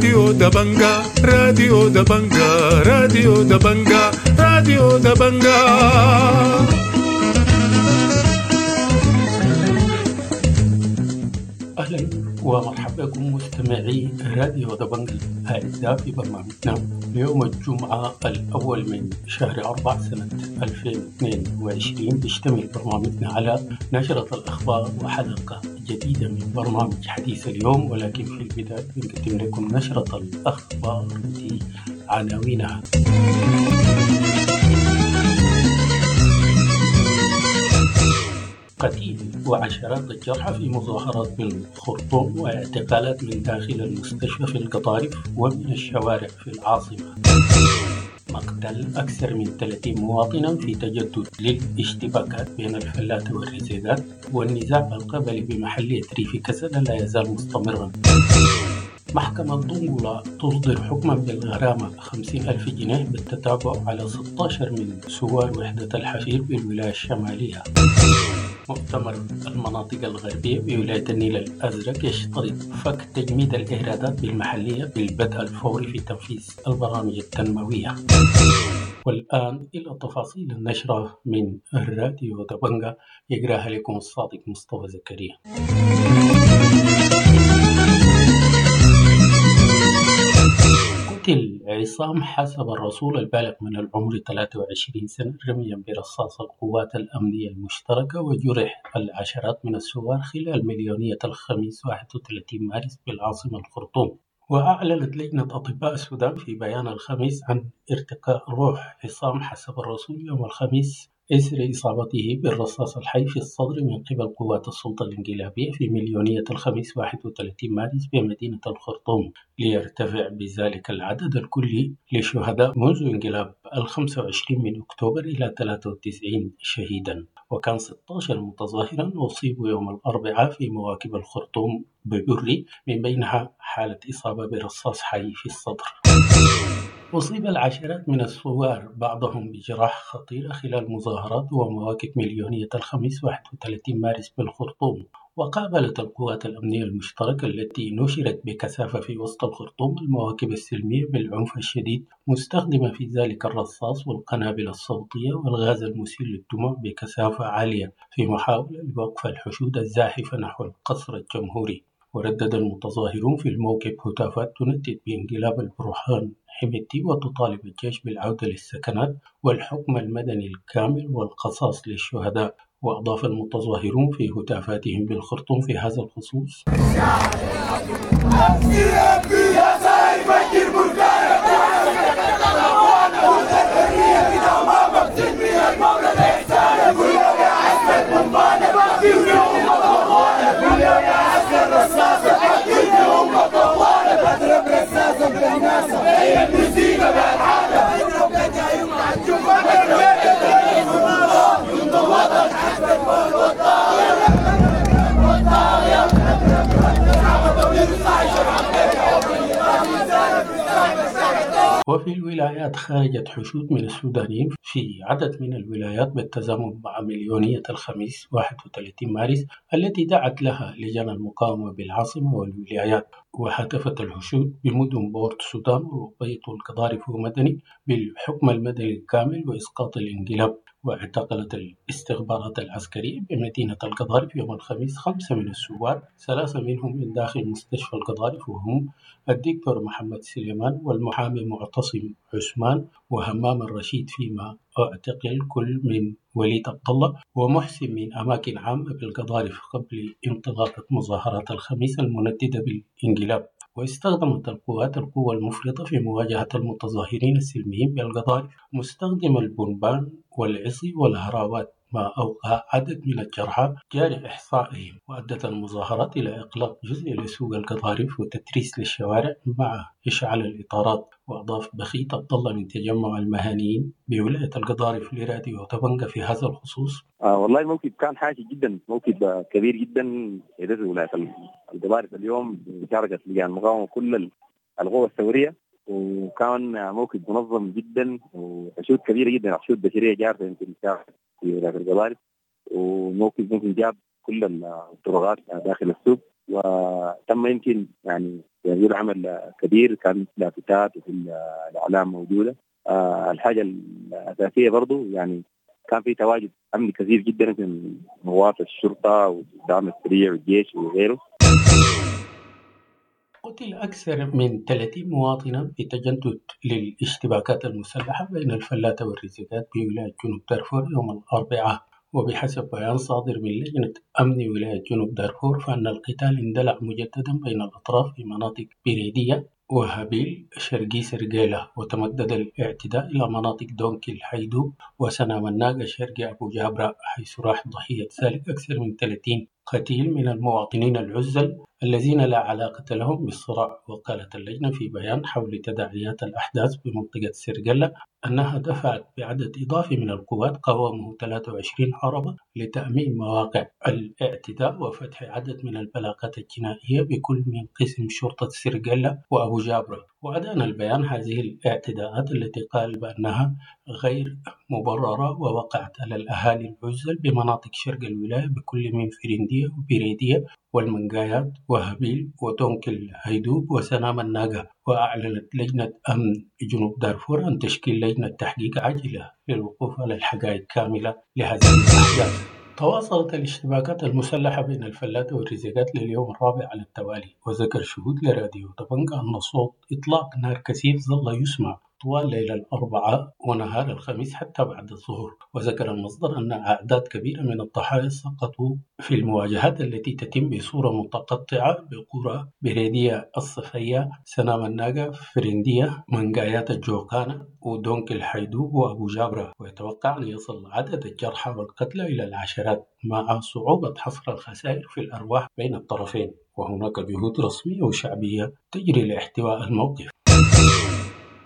راديو دبنجا، راديو دبنجا، راديو دبنجا، راديو دبنجا. أهلا ومرحبا بكم مستمعي راديو دبنجا الأعزاء في برنامجنا ليوم الجمعة الأول من شهر 4 سنة 2022. بيشتمل برنامجنا على نشرة الأخبار وحلقة جديدة من برنامج حديث اليوم، ولكن في البداية بنقدم لكم نشرة الأخبار بعناوينها. قتيل وعشرات الجرحى في مظاهرات بالخرطوم واعتقالات من داخل المستشفى في القطارف ومن الشوارع في العاصمة. مقتل أكثر من 30 مواطنا في تجدد للاشتباكات بين الفلاتة والرزيقات، والنزاع القبلي بمحلية ريف كسلا لا يزال مستمرا. محكمة دنقلة تصدر حكما بالغرامة 50,000 جنيه بالتتابع على 16 من ثوار وحدة الحفير بالولاية الشمالية. مؤتمر المناطق الغربية بولاية النيل الأزرق يشترط فك تجميد الإيرادات بالمحلية بالبدء الفوري في تنفيذ البرامج التنموية. والآن إلى تفاصيل النشرة من الراديو دبنجا، يقراها لكم الصادق مصطفى زكريا. قتل عصام حسب الرسول البالغ من العمر 23 سنة رميا برصاص القوات الأمنية المشتركة، وجرح العشرات من الثوار خلال مليونية الخميس 31 مارس بالعاصمة الخرطوم. وأعلنت لجنة أطباء السودان في بيان الخميس عن ارتقاء روح عصام حسب الرسول يوم الخميس إثر إصابته بالرصاص الحي في الصدر من قبل قوات السلطة الانقلابية في مليونية الخميس 31 مارس بمدينة الخرطوم، ليرتفع بذلك العدد الكلي للشهداء منذ انقلاب 25 من أكتوبر إلى 93 شهيدا. وكان 16 متظاهرا أصيبوا يوم الأربعاء في مواكب الخرطوم ببري، من بينها حالة إصابة برصاص حي في الصدر. أصيب العشرات من الثوار بعضهم بجراح خطيرة خلال مظاهرات ومواكب مليونية الخميس 31 مارس بالخرطوم. وقابلت القوات الأمنية المشتركة التي نشرت بكثافة في وسط الخرطوم المواكب السلمية بالعنف الشديد، مستخدمة في ذلك الرصاص والقنابل الصوتية والغاز المسيل للدموع بكثافة عالية في محاولة لوقف الحشود الزاحفة نحو القصر الجمهوري. وردد المتظاهرون في الموكب هتافات تندد بانقلاب البرهان حميدتي وتطالب الجيش بالعودة للسكنات والحكم المدني الكامل والقصاص للشهداء. وأضاف المتظاهرون في هتافاتهم بالخرطوم في هذا الخصوص: وفي الولايات خرجت حشود من السودانيين في عدد من الولايات بالتزامن مع مليونية الخميس 31 مارس التي دعت لها لجان المقاومة بالعاصمة والولايات. وهتفت الحشود بمدن بورت السودان والأبيض والقضارف ومدني بالحكم المدني الكامل وإسقاط الانقلاب. واعتقلت الاستخبارات العسكرية بمدينة القضارف يوم الخميس 5 من الثوار، 3 منهم من داخل مستشفى القضارف، وهم الدكتور محمد سليمان والمحامي معتصم عثمان وهمام الرشيد، فيما اعتقل كل من وليد عبد الله ومحسن من أماكن عامة بالقضارف قبل انطلاقة مظاهرات الخميس المنددة بالانقلاب. واستخدمت القوات القوة المفرطة في مواجهة المتظاهرين السلميين بالقضارف، مستخدمة البنبان والعصي والهراوات، ما أوقع عدد من الجرحى جاري إحصائهم. وأدت المظاهرات إلى إغلاق جزء لسوق القضارف وتتريس للشوارع مع إشعال الإطارات. وأضاف بخيت عبد الله من تجمع المهنيين بولاية القضارف لراديو دبنجا في هذا الخصوص: والله الموكب كان حاشد جدا، موكب كبير جدا في ولاية القضارف اليوم بمشاركة لجان المقاومة كل القوى الثورية، وكان موكب منظم جدا وحشود كبيرة جدا، حشود بشرية جارفة يمكن في ولاية القضارف. وموكب ممكن جاب كل الطرقات داخل السوق، وتم يمكن يعني يقول عمل كبير، كان لافتات وفي الاعلام موجودة. الحاجة الاساسية برضو يعني كان في تواجد امني كثير جدا من قوات الشرطة والدعم السريع والجيش وغيره. قتل أكثر من 30 مواطنا في تجدد للاشتباكات المسلحة بين الفلاتة والرزيقات بولاية جنوب دارفور يوم الأربعاء. وبحسب بيان صادر من لجنة أمن ولاية جنوب دارفور فإن القتال اندلع مجددا بين الأطراف في مناطق بريدية وهابيل شرقي سرقيلة، وتمدد الاعتداء إلى مناطق دونكي الحيدوب وسنام الناقة شرقي أبو جابرة، حيث راح ضحية ذلك أكثر من 30 قتيل من المواطنين العزل الذين لا علاقة لهم بالصراع. وقالت اللجنة في بيان حول تداعيات الأحداث بمنطقة سرقلة أنها دفعت بعدد إضافي من القوات قوامه 23 عربة لتأمين مواقع الاعتداء وفتح عدد من البلاغات الجنائية بكل من قسم شرطة سرقلة وأبو جابرة. وأدان البيان هذه الاعتداءات التي قال بأنها غير مبررة ووقعت على الأهالي العزل بمناطق شرق الولاية بكل من فرندية وبريدية والمنقايات وهبيل وتونكل هيدوب وسنام الناقة. وأعلنت لجنة أمن جنوب دارفور عن تشكيل لجنة تحقيق عاجلة للوقوف على الحقائق كاملة لهذه الأحداث. تواصلت الاشتباكات المسلحة بين الفلاتة والرزيقات لليوم الرابع على التوالي، وذكر شهود لراديو طبنجة أن صوت إطلاق نار كثيف ظل يسمع طوال ليل الأربعاء ونهار الخميس حتى بعد الظهر. وذكر المصدر أن أعداد كبيرة من الضحايا سقطوا في المواجهات التي تتم بصورة متقطعة بقرى بريدية الصفية، سنام الناقة، فرندية، منقايات الجوقانة ودونك الحيدوب وأبو جابرة. ويتوقع أن يصل عدد الجرحى والقتلى إلى العشرات مع صعوبة حصر الخسائر في الأرواح بين الطرفين، وهناك جهود رسمية وشعبية تجري لاحتواء الموقف.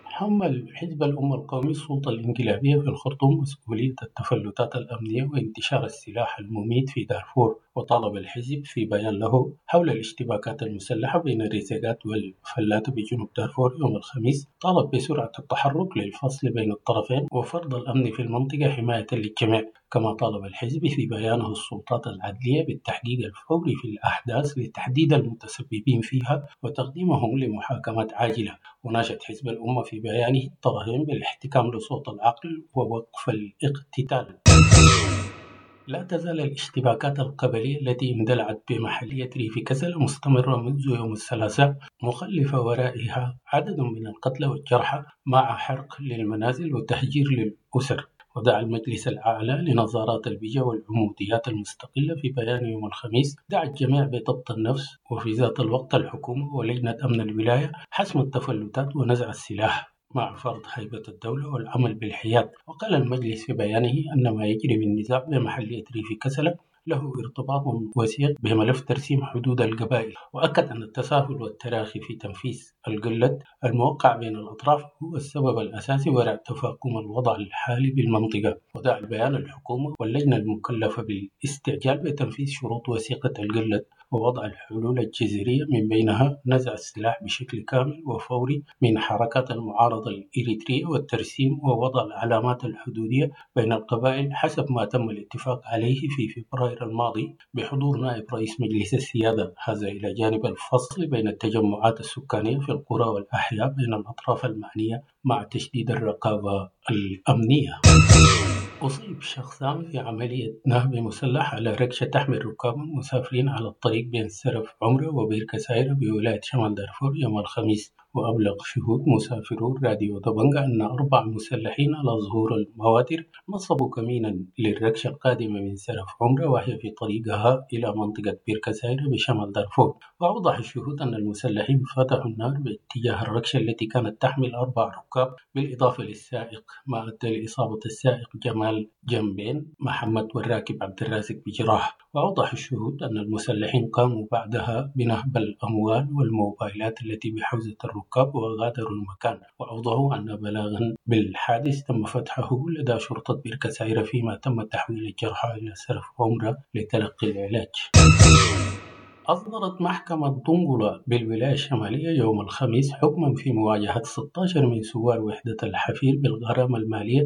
حمل حزب الأمة القومي السلطة الانقلابية في الخرطوم مسؤولية التفلتات الأمنية وانتشار السلاح المميت في دارفور، وطالب الحزب في بيان له حول الاشتباكات المسلحة بين الرزيقات والفلاتة بجنوب دارفور يوم الخميس، طالب بسرعة التحرك للفصل بين الطرفين وفرض الأمن في المنطقة حماية للجميع. كما طالب الحزب في بيانه السلطات العدلية بالتحقيق الفوري في الأحداث لتحديد المتسببين فيها وتقديمهم لمحاكمات عاجلة. وناشد حزب الأمة في بيانه الطرفين بالاحتكام لصوت العقل ووقف الاقتتال. لا تزال الاشتباكات القبلية التي اندلعت بمحلية ريف كسلا مستمرة منذ يوم الثلاثاء، مخلفة ورائها عدد من القتلى والجرحى مع حرق للمنازل وتهجير للأسر. ودعا المجلس الأعلى لنظارات البجا والعموديات المستقلة في بيان يوم الخميس دعا الجميع بضبط النفس، وفي ذات الوقت الحكومة ولجنة أمن الولاية حسم التفلتات ونزع السلاح مع فرض هيبة الدولة والعمل بالحياد. وقال المجلس في بيانه أن ما يجري من نزاع بمحلية ريف كسلا له ارتباط وثيق بملف ترسيم حدود القبائل، وأكد أن التساهل والتراخي في تنفيذ القلة الموقع بين الأطراف هو السبب الأساسي وراء تفاقم الوضع الحالي بالمنطقة. ودعا البيان الحكومة واللجنة المكلفة بالاستعجال بتنفيذ شروط وثيقة القلة ووضع الحلول الجذرية من بينها نزع السلاح بشكل كامل وفوري من حركات المعارضة الإريترية والترسيم ووضع العلامات الحدودية بين القبائل حسب ما تم الاتفاق عليه في فبراير الماضي بحضور نائب رئيس مجلس السيادة، هذا إلى جانب الفصل بين التجمعات السكانية في القرى والأحياء بين الأطراف المعنية مع تشديد الرقابة الأمنية. أصيب شخصان في عملية نهب مسلح على ركشة تحمل ركابا مسافرين على الطريق بين سرف عمرة وبيركة سايرة بولاية شمال دارفور يوم الخميس. وأبلغ شهود مسافرو راديو دبنجا أن 4 مسلحين على ظهور المواتر نصبوا كمينا للركشة القادمة من سرف عمرة وهي في طريقها إلى منطقة بيركة سايرة بشمال دارفور. وأوضح الشهود أن المسلحين فتحوا النار باتجاه الركشة التي كانت تحمل 4 ركاب بالإضافة للسائق، ما أدى لإصابة السائق جمال جنبين محمد والراكب عبد الرازق بجراح. وأوضح الشهود أن المسلحين قاموا بعدها بنهب الأموال والموبايلات التي بحوزة الركاب وغادروا المكان. وأوضحوا أن بلاغا بالحادث تم فتحه لدى شرطة بيركة سايرة فيما تم تحويل الجرحى إلى سرف عمرة لتلقي العلاج. أصدرت محكمة دنقلة بالولاية الشمالية يوم الخميس حكما في مواجهة 16 من ثوار وحدة الحفير بالغرامة المالية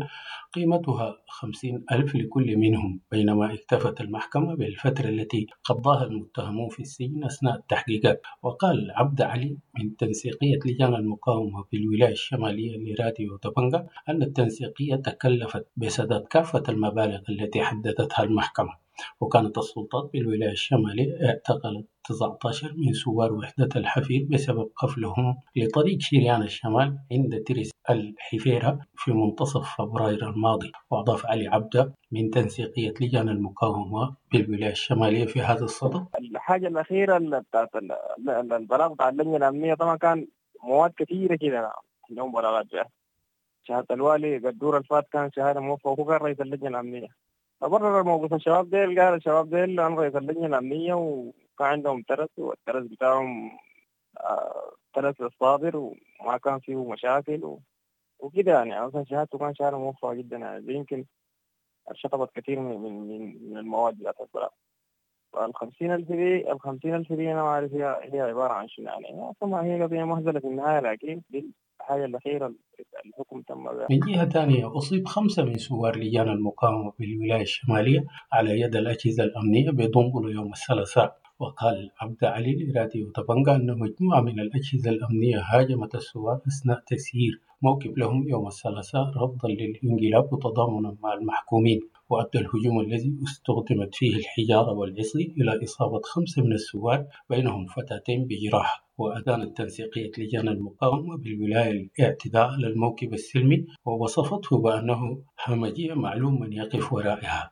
قيمتها 50 ألف لكل منهم، بينما اكتفت المحكمة بالفترة التي قضاها المتهمون في السجن أثناء التحقيقات. وقال عبد علي من تنسيقية لجان المقاومة بالولاية الشمالية لراديو دبنجا أن التنسيقية تكلفت بسداد كافة المبالغ التي حددتها المحكمة. وكانت السلطات بالولاية الشمالية اعتقلت 19 من ثوار وحدة الحفير بسبب قفلهم لطريق شريان الشمال عند ترس الحفيرة في منتصف فبراير الماضي. وأضاف علي عبده من تنسيقية لجان المقاومة بالولاية الشمالية في هذا الصدد: الحاجة الأخيرة بتاعت البلاغ بتاع اللجنة الأمنية طبعا كان مواد كثيرة كده عندهم بلاغات بها. شهادة الوالي قدور الفات كان شهادة موفقة وهو كان رئيس اللجنة الأمنية، فبرر موقف الشباب ديل، قال الشباب ديل أنا رئيس اللجنة الأمنية وكان عندهم ترس، والترس بتاعهم ترس الصادر وما كان فيه مشاكل وكده يعني. أصلا شهادته كان شهادة موفقة جدا يعني، يمكن شطبت كثير من من من المواد بتاعت البلاغ. فال50,000 دي، ال50,000 دي أنا ما أعرف هي عبارة عن شنو يعني، أصلا هي قضية مهزلة في النهاية، لكن دي الحاجة الأخيرة الحكم تم بها. من جهة ثانية أصيب 5 من ثوار لجان المقاومة بالولاية الشمالية على يد الأجهزة الأمنية بدنقل يوم الثلاثاء. وقال عبد علي لراديو دبنجا أن مجموعة من الأجهزة الأمنية هاجمت الثوار أثناء تسيير موكب لهم يوم الثلاثاء رفضا للانقلاب وتضامنا مع المحكومين. وأدى الهجوم الذي استخدمت فيه الحجارة والعصي إلى إصابة 5 من الثوار بينهم فتاتين بجراح. وأدانت تنسيقية لجان المقاومة بالولاية الاعتداء على الموكب السلمي ووصفته بأنه همجية معلوم من يقف ورائها.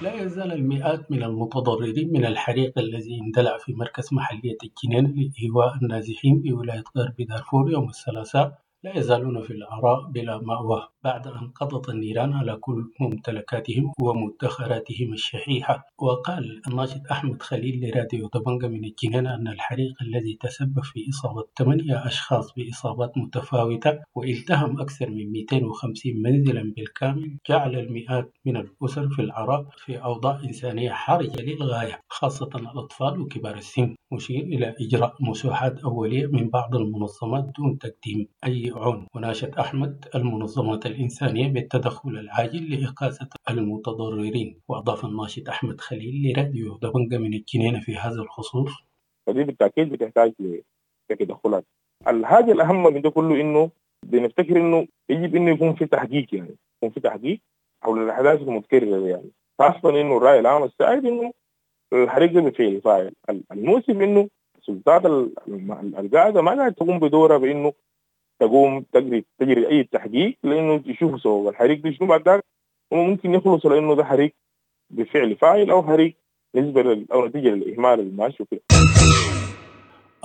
لا يزال المئات من المتضررين من الحريق الذي اندلع في مركز محلية الجنينة لإيواء النازحين بولاية غرب دارفور يوم الثلاثاء لا يزالون في العراء بلا مأوى بعد أن قضت النيران على كل ممتلكاتهم ومدخراتهم الشحيحة. وقال الناشط أحمد خليل لراديو دبنجا من الجنينة أن الحريق الذي تسبب في إصابة 8 أشخاص بإصابات متفاوتة والتهم أكثر من 250 منزلا بالكامل جعل المئات من الأسر في العراء في أوضاع إنسانية حرجة للغاية، خاصة الأطفال وكبار السن، مشير إلى إجراء مسوحات أولية من بعض المنظمات دون تقديم أي عون. وناشد أحمد المنظمات الإنسانية بالتدخل العاجل لإغاثة المتضررين. وأضاف الناشط أحمد خليل لراديو دبنجا من الجنينة في هذا الخصوص: فدي بالتأكيد بتحتاج لتدخلات. الحاجة الأهم من ده كله إنه بنفتكر إنه يجب إنه يكون في تحقيق، يعني يكون في تحقيق حول الأحداث المتكررة يعني، خاصة إنه الرأي العام السائد إنه الحريق ده بفعل فاعل. المؤسف إنه السلطات القاعدة ما قاعدة تقوم بدورها بإنه تقوم تجري أي تحقيق لأنه يشوفوا سبب الحريق ده شنو، بعد ذاك وممكن يخلصوا لأنه ده حريق بفعل فاعل أو حريق نسبة أو نتيجة للإهمال الماشي وكده.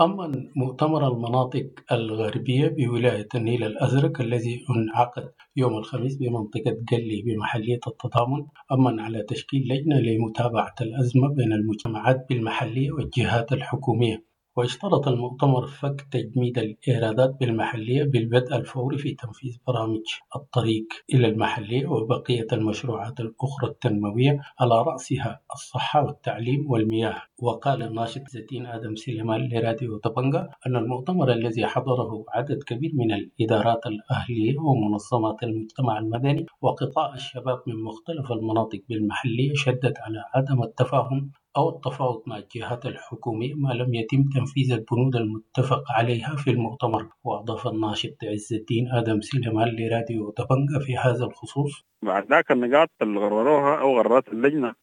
أما مؤتمر المناطق الغربية بولاية النيل الأزرق الذي انعقد يوم الخميس بمنطقة قلي بمحلية التضامن أمن على تشكيل لجنة لمتابعة الأزمة بين المجتمعات بالمحلية والجهات الحكومية. واشترط المؤتمر فك تجميد الإيرادات بالمحلية بالبدء الفوري في تنفيذ برامج الطريق إلى المحلية وبقية المشروعات الأخرى التنموية على رأسها الصحة والتعليم والمياه. وقال الناشط زتين آدم سليمان لراديو دبنجا أن المؤتمر الذي حضره عدد كبير من الإدارات الأهلية ومنظمات المجتمع المدني وقطاع الشباب من مختلف المناطق بالمحلية شدد على عدم التفاهم أو التفاوض مع الجهات الحكومية ما لم يتم تنفيذ البنود المتفق عليها في المؤتمر. وأضاف الناشط عز الدين آدم سليمان لراديو دبنجا في هذا الخصوص: بعد ذاك النقاط اللي غرروها أو غررت اللجنة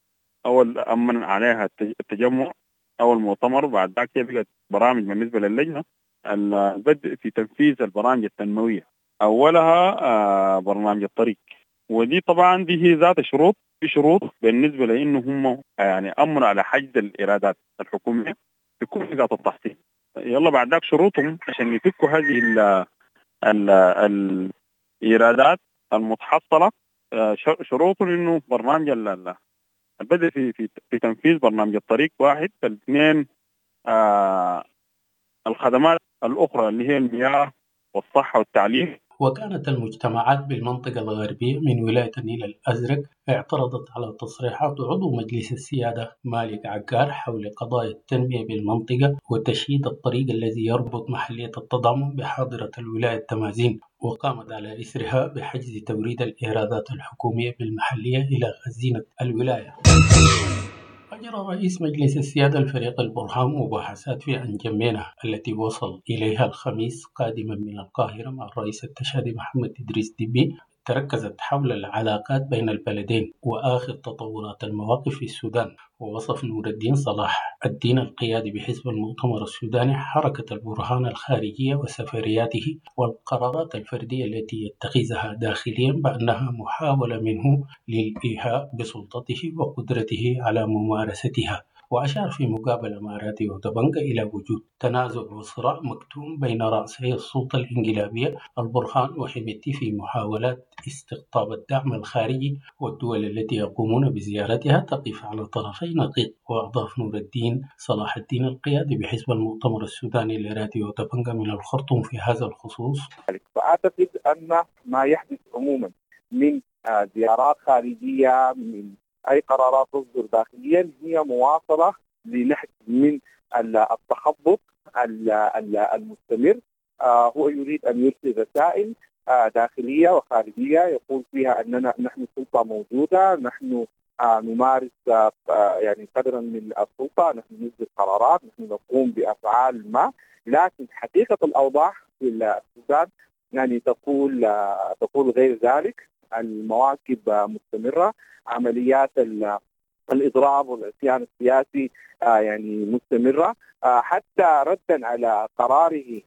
أو أمن عليها التجمع أو المؤتمر، بعد ذاك هي بقت برامج بالنسبة للجنة البدء في تنفيذ البرامج التنموية، أولها برنامج الطريق، ودي طبعا دي هي ذات شروط، في شروط بالنسبة لأنه هم يعني أمروا على حجز الإيرادات الحكومية في كل نقاط التحصيل. يلا بعد ذاك شروطهم عشان يفكوا هذه ال ال الإيرادات المتحصلة، شروطهم إنه برنامج البدء في في في تنفيذ برنامج الطريق واحد، الاثنين الخدمات الأخرى اللي هي المياه والصحة والتعليم. وكانت المجتمعات بالمنطقة الغربية من ولاية النيل الأزرق اعترضت على تصريحات عضو مجلس السيادة مالك عقار حول قضايا التنمية بالمنطقة وتشييد الطريق الذي يربط محلية التضامن بحاضرة الولاية التمازين، وقامت على إثرها بحجز توريد الإيرادات الحكومية بالمحلية إلى خزينة الولاية. أجرى رئيس مجلس السيادة الفريق البرهان مباحثات في أنجمينة التي وصل إليها الخميس قادما من القاهرة مع الرئيس التشادي محمد إدريس ديبي، تركزت حول العلاقات بين البلدين وآخر تطورات المواقف في السودان. ووصف نور الدين صلاح الدين القيادي بحزب المؤتمر السوداني حركة البرهان الخارجية وسفرياته والقرارات الفردية التي يتخذها داخليا بأنها محاولة منه للإيحاء بسلطته وقدرته على ممارستها. وأشار في مقابلة مع راديو دبنجة إلى وجود تنازع وصراع مكتوم بين رأسي السلطة الإنقلابية البرهان وحميدتي في محاولات استقطاب الدعم الخارجي، والدول التي يقومون بزيارتها تقف على طرفي نقيض. وأضاف نور الدين صلاح الدين القيادي بحزب المؤتمر السوداني لراديو دبنجة من الخرطوم في هذا الخصوص: فأعتقد أن ما يحدث عموما من زيارات خارجية، من أي قرارات تصدر داخليا، هي مواصلة لنهج من التخبط المستمر. هو يريد أن يرسل رسائل داخلية وخارجية يقول فيها أننا نحن سلطة موجودة، نحن نمارس يعني قدرا من السلطة، نحن نصدر قرارات، نحن نقوم بأفعال ما. لكن حقيقة الأوضاع في السودان يعني تقول غير ذلك. المواكب مستمرة، عمليات الإضراب والعصيان السياسي يعني مستمرة، حتى ردا على قراره.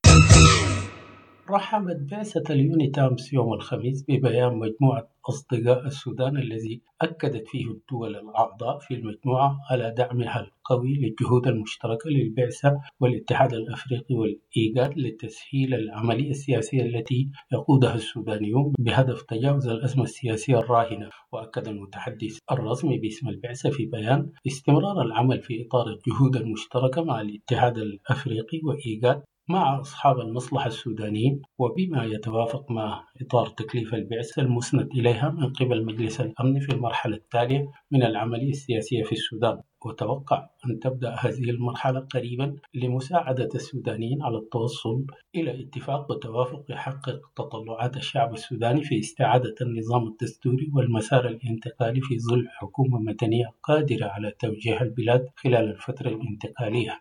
رحبت بعثة اليونيتامس يوم الخميس ببيان مجموعة أصدقاء السودان الذي أكدت فيه الدول الأعضاء في المجموعة على دعمها القوي للجهود المشتركة للبعثة والاتحاد الأفريقي والإيجاد لتسهيل العملية السياسية التي يقودها السودانيون بهدف تجاوز الأزمة السياسية الراهنة. وأكد المتحدث الرسمي باسم البعثة في بيان استمرار العمل في إطار الجهود المشتركة مع الاتحاد الأفريقي وإيجاد مع أصحاب المصلحة السودانيين، وبما يتوافق مع إطار تكليف البعثة المسند إليها من قبل مجلس الأمن في المرحلة التالية من العملية السياسية في السودان. وتوقع أن تبدأ هذه المرحلة قريبا لمساعدة السودانيين على التوصل إلى اتفاق وتوافق يحقق تطلعات الشعب السوداني في استعادة النظام الدستوري والمسار الانتقالي في ظل حكومة مدنية قادرة على توجيه البلاد خلال الفترة الانتقالية.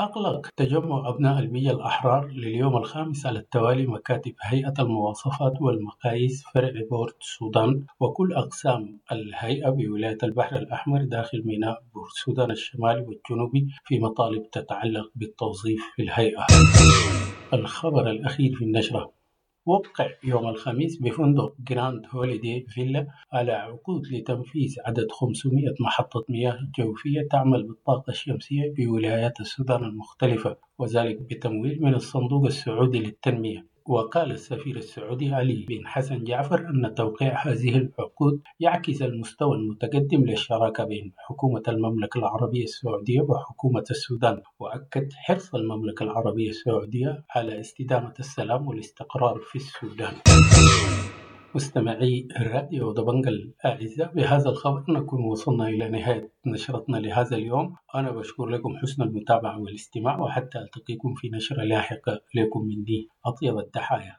أغلق تجمع أبناء البيئة الأحرار لليوم الخامس على التوالي مكاتب هيئة المواصفات والمقاييس فرع بورت السودان وكل أقسام الهيئة بولاية البحر الأحمر داخل ميناء بورت السودان الشمالي والجنوبي في مطالب تتعلق بالتوظيف في الهيئة. الخبر الأخير في النشرة: وقع يوم الخميس بفندق جراند هوليدي فيلا على عقود لتنفيذ عدد 500 محطة مياه جوفية تعمل بالطاقة الشمسية بولايات السودان المختلفة، وذلك بتمويل من الصندوق السعودي للتنمية. وقال السفير السعودي علي بن حسن جعفر أن توقيع هذه العقود يعكس المستوى المتقدم للشراكة بين حكومة المملكة العربية السعودية وحكومة السودان، وأكد حرص المملكة العربية السعودية على استدامة السلام والاستقرار في السودان. مستمعي الراديو دبنجة الأعزاء، بهذا الخبر نكون وصلنا إلى نهاية نشرتنا لهذا اليوم. أنا بشكر لكم حسن المتابعة والاستماع، وحتى ألتقيكم في نشرة لاحقة. لكم مني أطيب التحايا.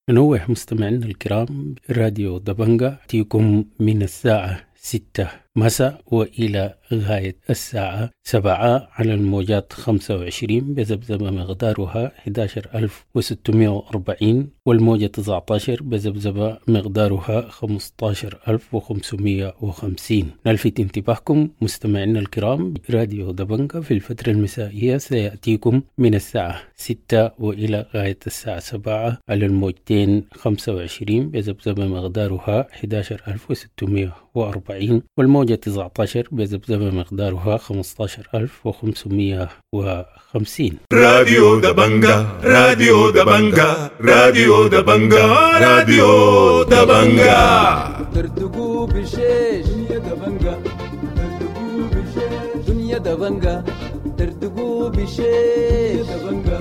ننوه مستمعينا الكرام، راديو دبنجة تيكم من الساعة 6 مساء وإلى غاية الساعة 7 على الموجات 25 بذبذبة مقدارها 11640، والموجة 19 بذبذبة مقدارها 15550. نلفت انتباهكم مستمعينا الكرام، راديو دبنجة في الفترة المسائية سيأتيكم من الساعة 6 وإلى غاية الساعة 7 على الموجتين 25 بذبذبة مقدارها 11640، والموجة 19 بذبذبة مقدارها 15550. راديو دبنجة، راديو دبنجة، راديو دبنجة، راديو دبنجة. ترتقوا بالشيش دنيا دبنجة، ترتقوا بالشيش دنيا دبنجة دردقوا بشيش، دبنجة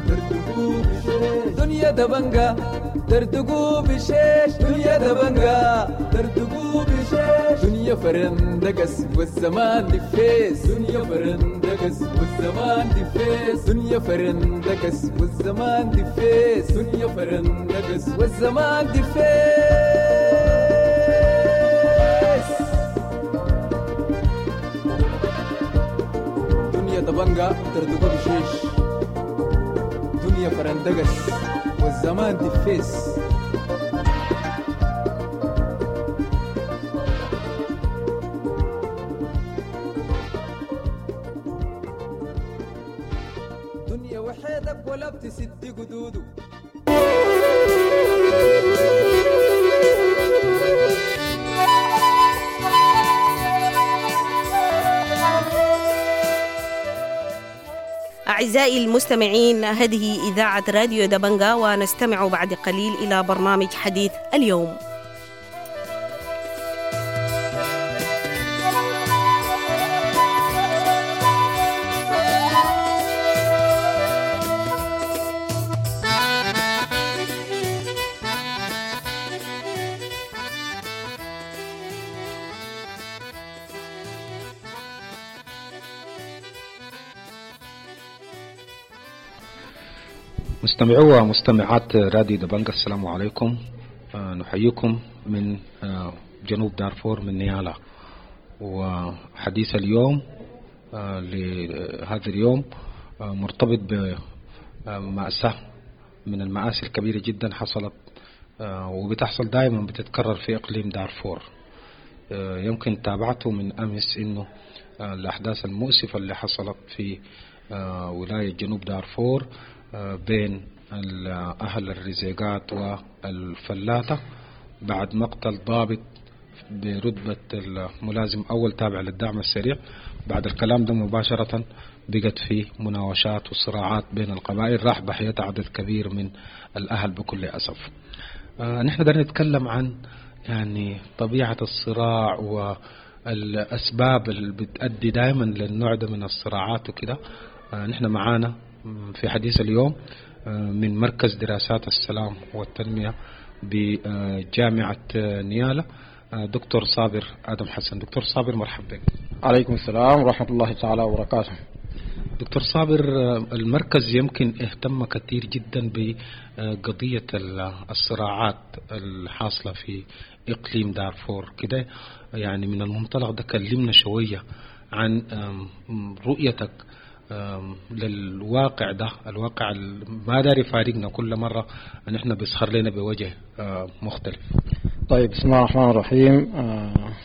دردقوا بشيش، دنيا دبنجة دردقوا بشيش، دنيا دبنجة دردقوا بشيش، دنيا فرندقس والزمان دفيس، دنيا فرندقس والزمان دفيس، دنيا فرندقس والزمان دفيس، دنيا فرندقس والزمان دفيس. دنيا دبنجة دردقوا بشيش، دنيا فرندقس والزمان دفيس. دنيا وحيدك ولا بتسد قدوده. أعزائي المستمعين، هذه إذاعة راديو دبنجا، ونستمع بعد قليل إلى برنامج حديث اليوم. مستمعو ومستمعات راديو دبنجا، السلام عليكم. نحييكم من جنوب دارفور من نيالا. وحديث اليوم لهذا اليوم مرتبط بمأساة من المآسي الكبيرة جدا حصلت وبتحصل دائما، بتتكرر في إقليم دارفور. يمكن تابعته من أمس إنه الأحداث المؤسفة اللي حصلت في ولاية جنوب دارفور بين أهل الرزيقات والفلاتة بعد مقتل ضابط برتبة الملازم أول تابع للدعم السريع. بعد الكلام ده مباشرة بقت في مناوشات وصراعات بين القبائل، راح ضحيتها عدد كبير من الأهل بكل أسف. نحن بدنا نتكلم عن يعني طبيعة الصراع والأسباب اللي بتؤدي دائما للنوع ده من الصراعات وكده. نحن معانا في حديث اليوم من مركز دراسات السلام والتنمية بجامعة نيالا دكتور صابر آدم حسن. دكتور صابر، مرحبا بك. عليكم السلام ورحمة الله تعالى وبركاته. دكتور صابر، المركز يمكن اهتم كثير جدا بقضية الصراعات الحاصلة في إقليم دارفور كده، يعني من المنطلق ده كلمنا شوية عن رؤيتك للواقع ده، الواقع ما داري فارقنا كل مرة نحن بيسخر لنا بوجه مختلف. طيب، بسم الله الرحمن الرحيم.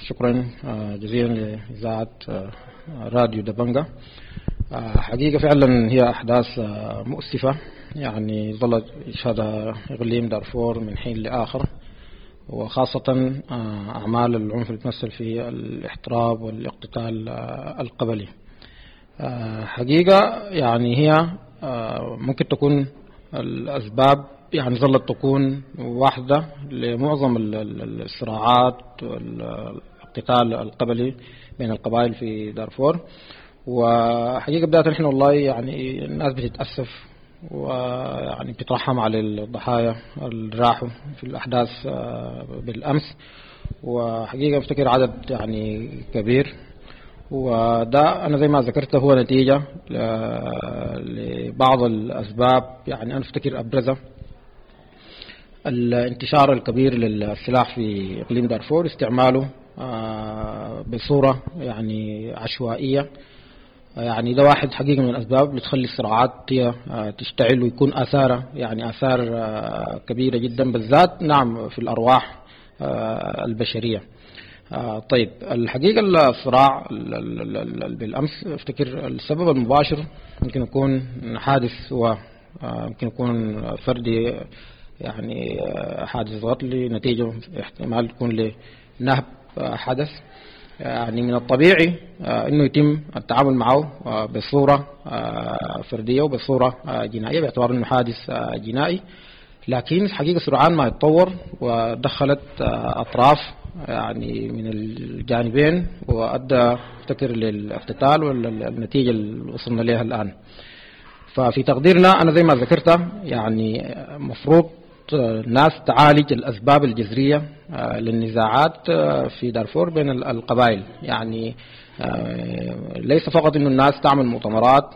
شكرا جزيلا لإذاعة راديو دبنجا. حقيقة فعلا هي أحداث مؤسفة، يعني ظلت يشهدها إقليم دارفور من حين لآخر، وخاصة أعمال العنف اللي تمثل في الاحتراب والاقتتال القبلي. حقيقة يعني هي ممكن تكون الأسباب يعني ظلت تكون واحدة لمعظم الصراعات والاقتتال القبلي بين القبائل في دارفور. وحقيقة بداية نحن والله يعني الناس بتتأسف ويعني بتترحم على الضحايا اللي راحوا في الأحداث بالأمس، وحقيقة افتكر عدد يعني كبير، وده أنا زي ما ذكرت هو نتيجة لبعض الأسباب. يعني أنا أفتكر أبرزها الانتشار الكبير للسلاح في إقليم دارفور، استعماله بصورة يعني عشوائية. يعني ده واحد حقيقة من الأسباب اللي تخلي الصراعات هي تشتعل ويكون آثارها يعني آثار كبيرة جدا، بالذات نعم في الأرواح البشرية. طيب، الحقيقة الصراع بالأمس افتكر السبب المباشر يمكن يكون حادث، ويمكن يكون فردي، يعني حادث قتل نتيجة احتمال تكون لنهب حدث. يعني من الطبيعي انه يتم التعامل معه بصورة فردية وبصورة جنائية باعتبار انه حادث جنائي، لكن الحقيقة سرعان ما يتطور ودخلت اطراف يعني من الجانبين، وأدى افتكر للاقتتال والنتيجة اللي وصلنا لها الآن. ففي تقديرنا أنا زي ما ذكرت يعني مفروض الناس تعالج الأسباب الجذرية للنزاعات في دارفور بين القبائل. يعني ليس فقط إنه الناس تعمل مؤتمرات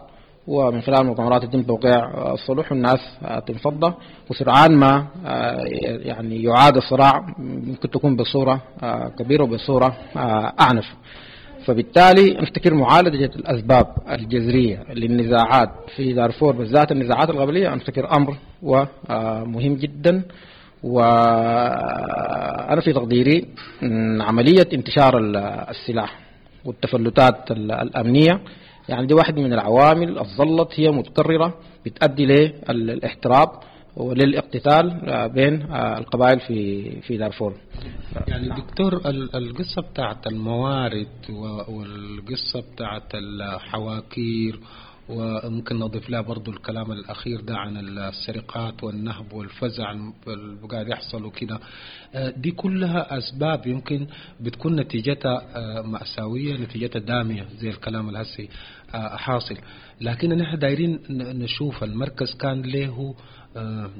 ومن خلال المؤتمرات يتم توقيع الصلح والناس تنفض، وسرعان ما يعني يعاد الصراع، ممكن تكون بصورة كبيرة وبصورة أعنف. فبالتالي نفتكر معالجة الأسباب الجذرية للنزاعات في دارفور بالذات النزاعات القبلية نفتكر أمر ومهم جدا. وأنا في تقديري عملية انتشار السلاح والتفلتات الأمنية يعني دي واحد من العوامل الظلت هي متكررة بتؤدي للاحتراب وللاقتتال بين القبائل في دارفور. يعني دكتور، القصة بتاعت الموارد والقصة بتاعت الحواكير، وممكن نضيف لها برضو الكلام الأخير ده عن السرقات والنهب والفزع اللي قاعد يحصل وكده، دي كلها أسباب يمكن بتكون نتيجتها مأساوية، نتيجتها دامية زي الكلام الهسي حاصل. لكن نحن دايرين نشوف المركز كان له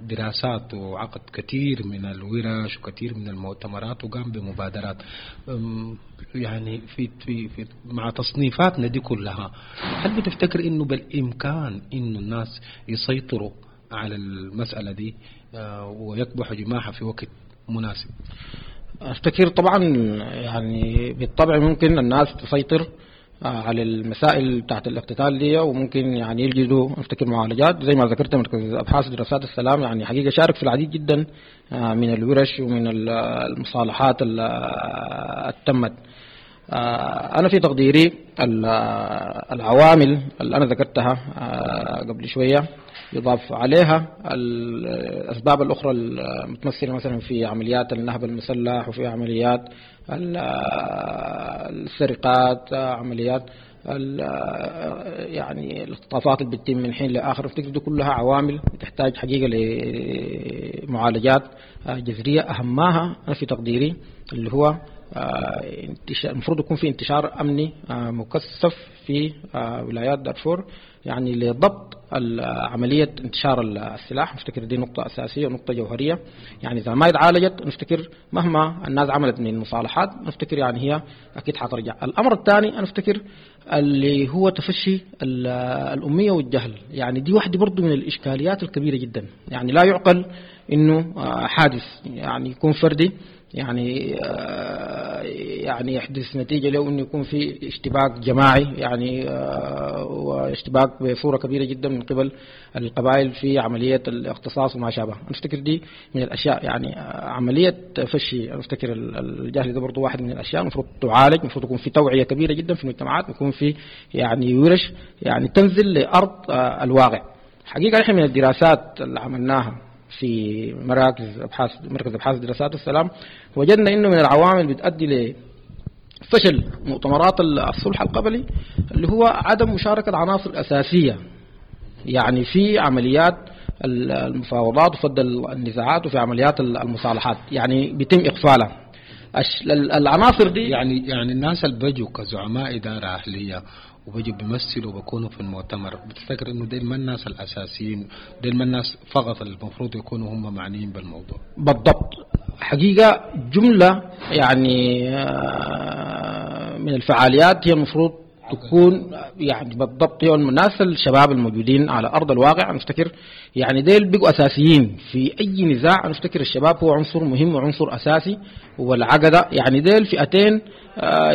دراسات وعقد كثير من الورش وكثير من المؤتمرات وقام بمبادرات، يعني في في في مع تصنيفاتنا دي كلها، هل بتفتكر انه بالامكان انه الناس يسيطروا على المسألة دي ويكبحوا جماحها في وقت مناسب؟ افتكر طبعا يعني بالطبع ممكن الناس تسيطر على المسائل بتاعت الاقتتال دي، وممكن يعني يجدوا افتكر معالجات زي ما ذكرت. مركز ابحاث دراسات السلام يعني حقيقه شارك في العديد جدا من الورش ومن المصالحات اللي تمت. انا في تقديري العوامل اللي انا ذكرتها قبل شويه يضاف عليها الأسباب الأخرى المتمثلة مثلا في عمليات النهب المسلح وفي عمليات السرقات، عمليات يعني الاختطافات اللي بتتم من حين لآخر. افتكر دي كلها عوامل تحتاج حقيقة لمعالجات جذرية، أهمها أنا في تقديري اللي هو المفروض يكون في انتشار أمني مكثف في ولايات دارفور يعني لضبط عملية انتشار السلاح. نفتكر دي نقطة أساسية ونقطة جوهرية، يعني إذا ما اتعالجت نفتكر مهما الناس عملت من مصالحات نفتكر يعني هي أكيد حترجع. الأمر الثاني نفتكر اللي هو تفشي الأمية والجهل، يعني دي واحدة برضو من الإشكاليات الكبيرة جدا. يعني لا يعقل إنه حادث يعني يكون فردي يعني يحدث نتيجة له إنه يكون في اشتباك جماعي يعني واشتباك بصورة كبيرة جدا من قبل القبائل في عملية الاقتصاص وما شابه. أفتكر دي من الأشياء يعني عملية فشي أفتكر الجهل ده برضو واحد من الأشياء المفروض تعالج، المفروض يكون في توعية كبيرة جدا في المجتمعات، يكون في يعني ورش يعني تنزل لأرض الواقع. حقيقة نحن من الدراسات اللي عملناها في مراكز ابحاث مركز ابحاث دراسات السلام وجدنا انه من العوامل بتؤدي لفشل مؤتمرات الصلح القبلي اللي هو عدم مشاركة العناصر الأساسية يعني في عمليات المفاوضات وفض النزاعات وفي عمليات المصالحات، يعني بيتم إقفالها العناصر دي. يعني الناس اللي بيجوا كزعماء إدارة أهلية وبيجوا بيمثلوا وبيكونوا في المؤتمر، بتفتكر انه ديل ما الناس الاساسيين، ديل ما الناس فقط المفروض يكونوا هم معنيين بالموضوع؟ بالضبط، حقيقة جملة يعني من الفعاليات هي المفروض تكون يعني بالضبط هي الناس الشباب الموجودين على أرض الواقع. نفتكر يعني ديل بيقوا أساسيين في أي نزاع. نفتكر الشباب هو عنصر مهم وعنصر أساسي، والعقدة يعني ديل فئتين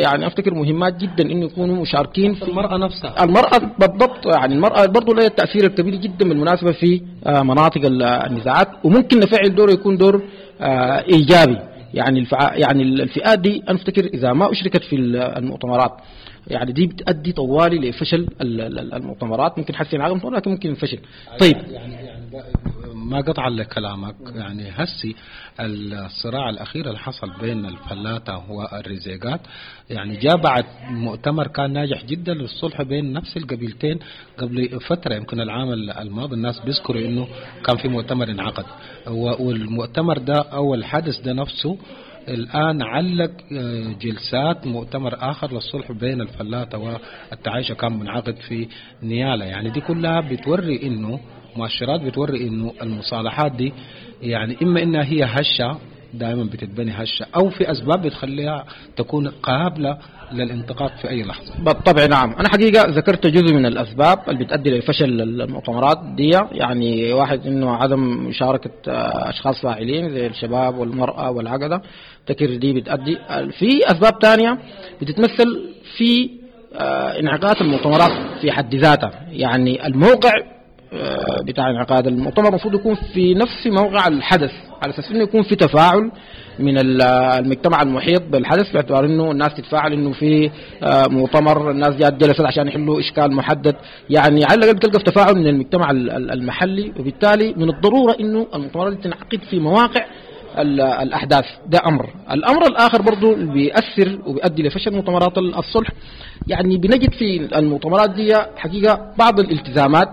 يعني أفتكر مهمات جدا إنه يكونوا مشاركين في المرأة نفسها. المرأة بالضبط، يعني المرأة برضو لها التأثير الكبير جدا بالمناسبة في مناطق النزاعات، وممكن نفعل دور يكون دور إيجابي. يعني يعني الفئات دي أفتكر إذا ما أشركت في المؤتمرات يعني دي بتؤدي طوالي لفشل المؤتمرات، ممكن حسين عقم لكن ممكن فشل. طيب يعني ما قطع لكلامك، يعني هسي الصراع الأخير اللي حصل بين الفلاتة والرزيقات يعني جاء بعد مؤتمر كان ناجح جدا للصلح بين نفس القبيلتين قبل فترة، يمكن العام الماضي الناس بيذكروا إنه كان في مؤتمر انعقد، والمؤتمر ده أو الحدث ده نفسه الآن علق جلسات مؤتمر آخر للصلح بين الفلاتة والتعايشة كان منعقد في نيالا. يعني دي كلها بتوري إنه مؤشرات، بتوري إنه المصالحات دي يعني إما إنها هي هشة دائما بتتبني هشة، أو في أسباب بتخليها تكون قابلة للانتقاد في أي لحظة. بالطبع نعم، أنا حقيقة ذكرت جزء من الأسباب اللي بتؤدي لفشل المؤتمرات دي. يعني واحد إنه عدم مشاركة أشخاص فاعلين زي الشباب والمرأة والعقدة، تكر دي بتؤدي. في أسباب تانية بتتمثل في انعقاد المؤتمرات في حد ذاتها. يعني الموقع بتاع انعقاد المؤتمر المفروض يكون في نفس موقع الحدث، على اساس انه يكون في تفاعل من المجتمع المحيط بالحدث، باعتبار انه الناس تتفاعل انه في مؤتمر، الناس جات جلست عشان يحلوا اشكال محدد. يعني على الاقل بتلقى في تفاعل من المجتمع المحلي، وبالتالي من الضروره انه المؤتمرات تنعقد في مواقع الاحداث. ده امر. الامر الاخر برضو بيأثر وبيؤدي لفشل مؤتمرات الصلح، يعني بنجد في المؤتمرات دي حقيقه بعض الالتزامات،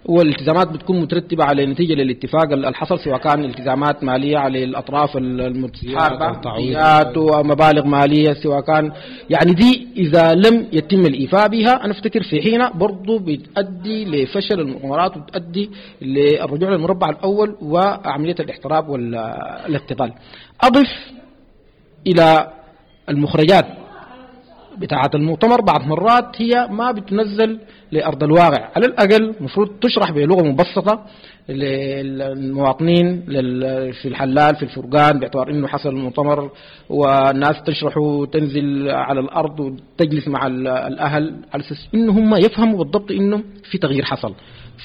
والالتزامات بتكون مترتبة على نتيجة للاتفاق اللي حصل، سواء كان التزامات مالية على الأطراف المتحاربة ومبالغ مالية، سواء كان يعني دي إذا لم يتم الإيفاء بها أنا أفتكر في حين برضو بتؤدي لفشل المؤتمرات وبتؤدي للرجوع للمربع الأول وعملية الاحتراب والاقتتال. أضف إلى المخرجات بتاعة المؤتمر بعض مرات هي ما بتنزل لأرض الواقع، على الأقل مفروض تشرح بلغة مبسطة للمواطنين في الحلال في الفرقان، باعتبار إنه حصل المؤتمر والناس تشرح وتنزل على الأرض وتجلس مع الأهل على أساس إنه هم يفهموا بالضبط إنه في تغيير حصل،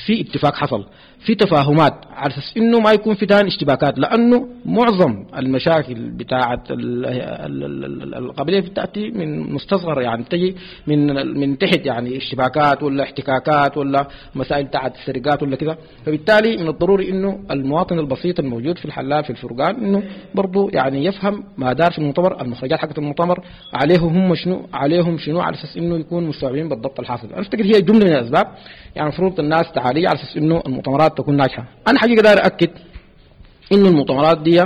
في اتفاق حصل، في تفاهمات، على أساس إنه ما يكون في تاني اشتباكات. لأنه معظم المشاكل بتاعة القبلية بتأتي من مستصغر، يعني تجي من تحت، يعني اشتباكات ولا احتكاكات ولا مسائل بتاعة السرقات ولا كذا. فبالتالي من الضروري إنه المواطن البسيط الموجود في الحلال في الفرقان إنه برضو يعني يفهم ما دار في المؤتمر، المخرجات حقت المؤتمر عليهم هم شنو، عليهم شنو، على أساس إنه يكون مستوعبين بالضبط الحاصل. أنا أفتكر هي جملة من الأسباب يعني المفروض الناس تعالي على أساس إنه المؤتمرات تكون ناجحة. أنا حقيقة داير أكد إنه المؤتمرات دي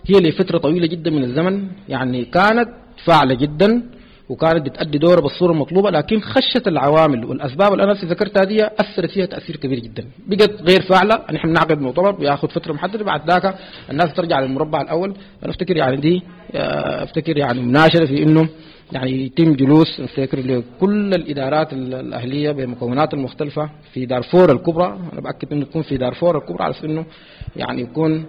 هي لفترة طويلة جدا من الزمن يعني كانت فاعلة جدا وكانت بتأدي دورها بالصورة المطلوبة، لكن خشت العوامل والأسباب اللي أنا ذكرتها دي أثرت فيها تأثير كبير جدا، بقت غير فاعلة. نحن بنعقد مؤتمر بياخذ فترة محددة، بعد ذاك الناس ترجع للمربع الأول. أنا أفتكر يعني دي أفتكر يعني مناشدة في إنه يعني يتم جلوس أفتكر لكل الإدارات الأهلية بمكونات المختلفة في دارفور الكبرى. أنا بأكد إنه يكون في دارفور الكبرى على أساس إنه يعني يكون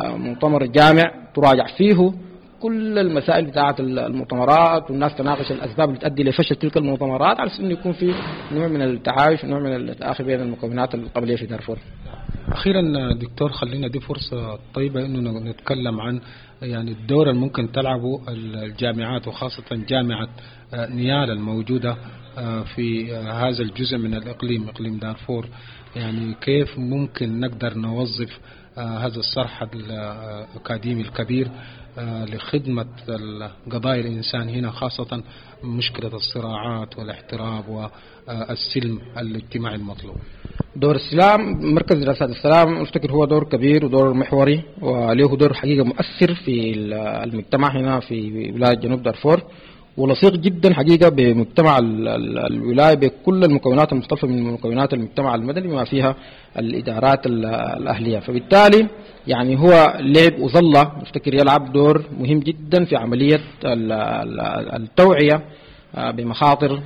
مؤتمر جامع تراجع فيه كل المسائل بتاعة المؤتمرات، والناس تناقش الأسباب اللي تؤدي لفشل تلك المؤتمرات، على أساس إنه يكون في نوع من التعايش ونوع من التآخي بين المكونات القبلية في دارفور. أخيرا دكتور، خلينا دي فرصة طيبة إنه نتكلم عن يعني الدور اللي ممكن تلعبه الجامعات، وخاصة جامعة نيالا الموجودة في هذا الجزء من الإقليم، إقليم دارفور. يعني كيف ممكن نقدر نوظف هذا الصرح الأكاديمي الكبير لخدمة قضايا الإنسان هنا، خاصة مشكلة الصراعات والاحتراب والسلم الاجتماعي المطلوب؟ دور السلام، مركز دراسات السلام أفتكر هو دور كبير ودور محوري، وله دور حقيقة مؤثر في المجتمع هنا في ولاية جنوب دارفور، ولصيق جدا حقيقة بمجتمع الولاية بكل المكونات المختلفة من مكونات المجتمع المدني بما فيها الإدارات الأهلية. فبالتالي يعني هو لعب وظل أفتكر يلعب دور مهم جدا في عملية التوعية بمخاطر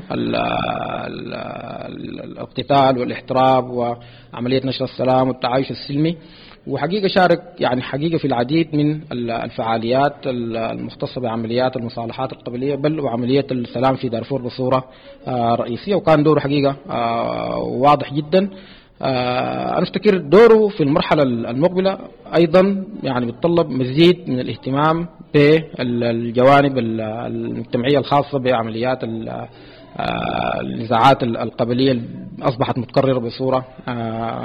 الاقتتال والاحتراب وعملية نشر السلام والتعايش السلمي. وحقيقة شارك يعني حقيقة في العديد من الفعاليات المختصة بعمليات المصالحات القبلية بل وعملية السلام في دارفور بصورة رئيسية، وكان دوره حقيقة واضح جدا. أنا أفتكر دوره في المرحلة المقبلة أيضا يعني بيتطلب مزيد من الاهتمام بالجوانب المجتمعية الخاصة بعمليات النزاعات القبلية أصبحت متكررة بصورة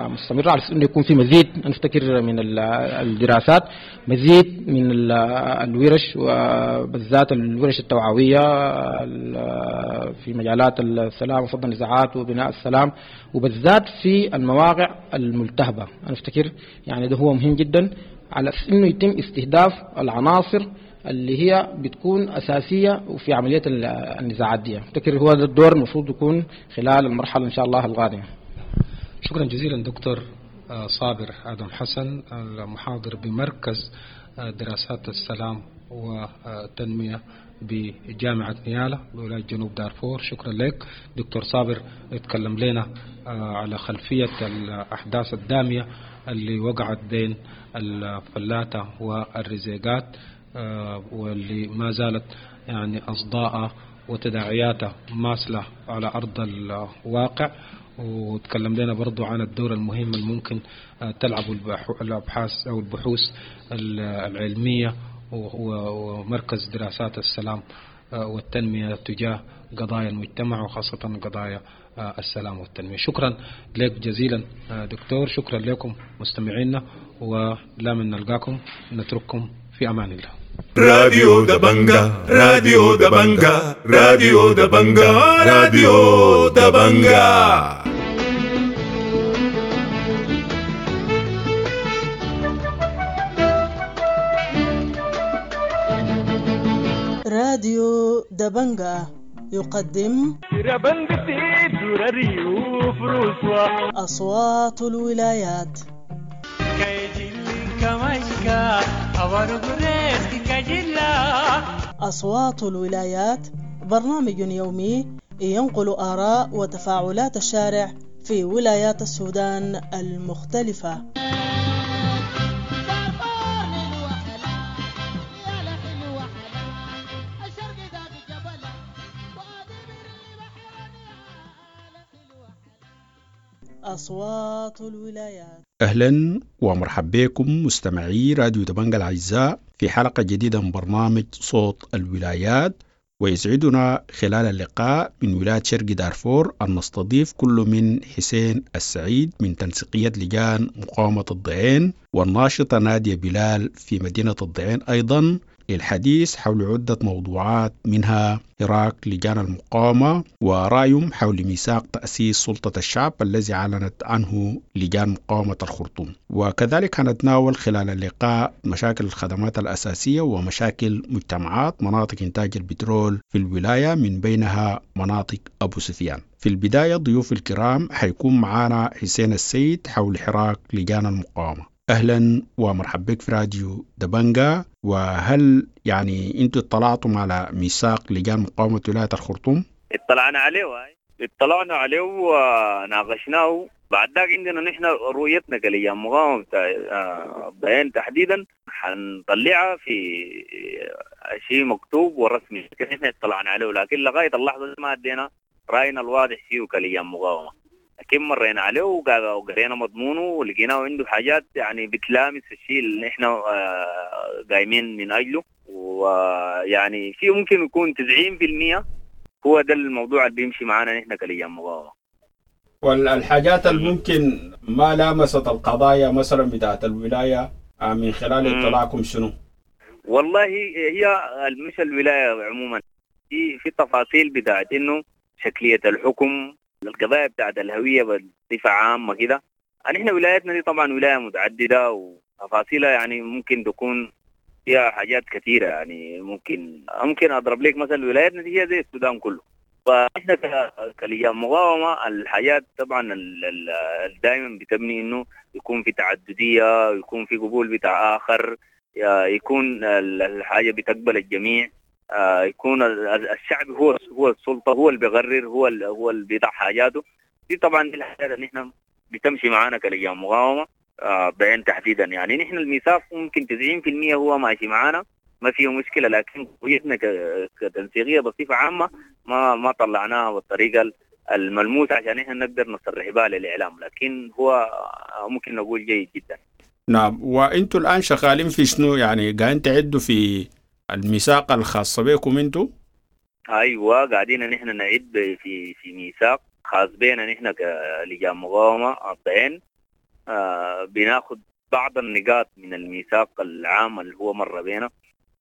مستمرة، على أساس أنه يكون في مزيد نفتكر من الدراسات، مزيد من الورش وبالذات الورش التوعوية في مجالات السلام وفض النزاعات وبناء السلام، وبالذات في المواقع الملتهبة. أنا أفتكر يعني ده هو مهم جدا على أساس أنه يتم استهداف العناصر اللي هي بتكون أساسية وفي عملية النزاعات دي. أفتكر هو ده الدور المفروض يكون خلال المرحلة إن شاء الله القادمة. شكرا جزيلا دكتور صابر آدم حسن، المحاضر بمركز دراسات السلام والتنمية بجامعة نيالا بولاية جنوب دارفور. شكرا لك دكتور صابر، اتكلم لنا على خلفية الأحداث الدامية اللي وقعت بين الفلاتة والرزيقات، واللي ما زالت يعني أصداء وتداعياتها ماثلة على أرض الواقع. وتكلم لنا برضو عن الدور المهم الممكن تلعبه الأبحاث أو البحوث العلمية ومركز دراسات السلام والتنمية تجاه قضايا المجتمع وخاصة قضايا السلام والتنمية. شكرا لك جزيلا دكتور، شكرا لكم مستمعينا، ولا من نلقاكم نترككم في أمان الله. راديو دبنجا، راديو دبنجا، راديو دبنجا، راديو دبنجا. راديو دبنجا يقدم أصوات الولايات. أصوات الولايات برنامج يومي ينقل آراء وتفاعلات الشارع في ولايات السودان المختلفة. أصوات الولايات. أهلا ومرحبا بكم مستمعي راديو دبنجا الأعزاء في حلقة جديدة من برنامج صوت الولايات، ويسعدنا خلال اللقاء من ولاية شرق دارفور أن نستضيف كل من حسين السعيد من تنسيقية لجان مقاومة الضعين والناشطة نادية بلال في مدينة الضعين أيضا للحديث حول عدة موضوعات، منها حراك لجان المقاومة ورأيهم حول ميثاق تأسيس سلطة الشعب الذي أعلنت عنه لجان مقاومة الخرطوم. وكذلك هنتناول خلال اللقاء مشاكل الخدمات الأساسية ومشاكل مجتمعات مناطق إنتاج البترول في الولاية من بينها مناطق أبو سفيان. في البداية ضيوف الكرام حيكون معنا حسين السيد حول حراك لجان المقاومة. أهلا ومرحبا بك في راديو دبنجا. وهل يعني أنتوا اطلعتم على ميثاق لجان مقاومة ولاية الخرطوم؟ اطلعنا عليه وناقشناه. بعد ذاك عندنا نحن رؤيتنا كلجان مقاومة الضعين تحديدا حنطلعها في شيء مكتوب ورسمي، لكن نحن اطلعنا عليه، لكن لغاية اللحظة ما ادينا رأينا الواضح فيه كلجان مقاومة. لكن مرينا عليه وقرينا مضمونه ولقيناه عنده حاجات يعني بتلامس الشيء اللي احنا قايمين من اجله، ويعني في ممكن يكون 90% هو ده الموضوع اللي بيمشي معانا نحن كلجان مقاومة. والحاجات اللي ممكن ما لامست القضايا مثلا بتاعت الولاية من خلال اطلاعكم شنو؟ والله هي مش الولاية عموما، في تفاصيل بتاعت انه شكلية الحكم، القضايا بتاعت الهوية بصفة عامة كده. نحن ولايتنا دي طبعا ولاية متعددة وتفاصيلها يعني ممكن تكون فيها حاجات كثيرة، يعني ممكن أضرب لك مثلا ولايتنا دي هي زي السودان كله. فإحنا كلجان مقاومة الحاجات طبعا دائما بتبني إنه يكون في تعددية، يكون في قبول بتاع آخر، يكون الحاجة بتقبل الجميع، يكون الشعب هو السلطة، هو اللي بيقرر، هو اللي بيضع حاجاته. دي طبعا دي الحاجات اللي نحن بتمشي معانا كلجان مقاومة بعين تحديدا. يعني نحن الميثاق ممكن 90% هو ماشي معانا ما فيه مشكلة، لكن قويتنا كتنسيقية بصفة عامة ما طلعناها بالطريقة الملموسة عشان نحن نقدر نصرح بها للإعلام، لكن هو ممكن نقول جيد جدا. نعم، وانتوا الآن شغالين في شنو؟ يعني قاعدين تعدوا في الميثاق الخاص بكم انتوا؟ ايوه، قاعدين نحن نعد في ميثاق خاص بينا نحن كلجان مقاومة الضعين. بناخذ بعض النقاط من الميثاق العام اللي هو مر بينا،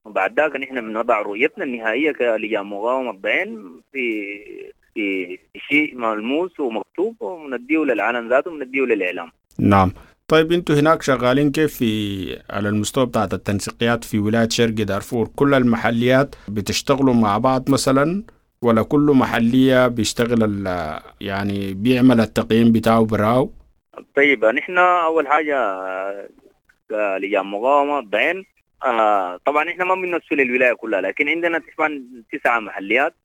وبعد ذاك نحن بنضع رؤيتنا النهائية كلجان مقاومة الضعين في شيء ملموس ومكتوب، ونديه للعالم ذاته ونديه للإعلام. نعم. طيب انتوا هناك شغالين كيف في على المستوى بتاعت التنسيقيات في ولاية شرق دارفور؟ كل المحليات بتشتغلوا مع بعض مثلا، ولا كل محلية بيشتغل يعني بيعمل التقييم بتاعه براو؟ طيب نحن أول حاجة لجان مقاومة الضعين طبعا نحن ما بنمثل الولاية كلها، لكن عندنا طبعا 9 محليات،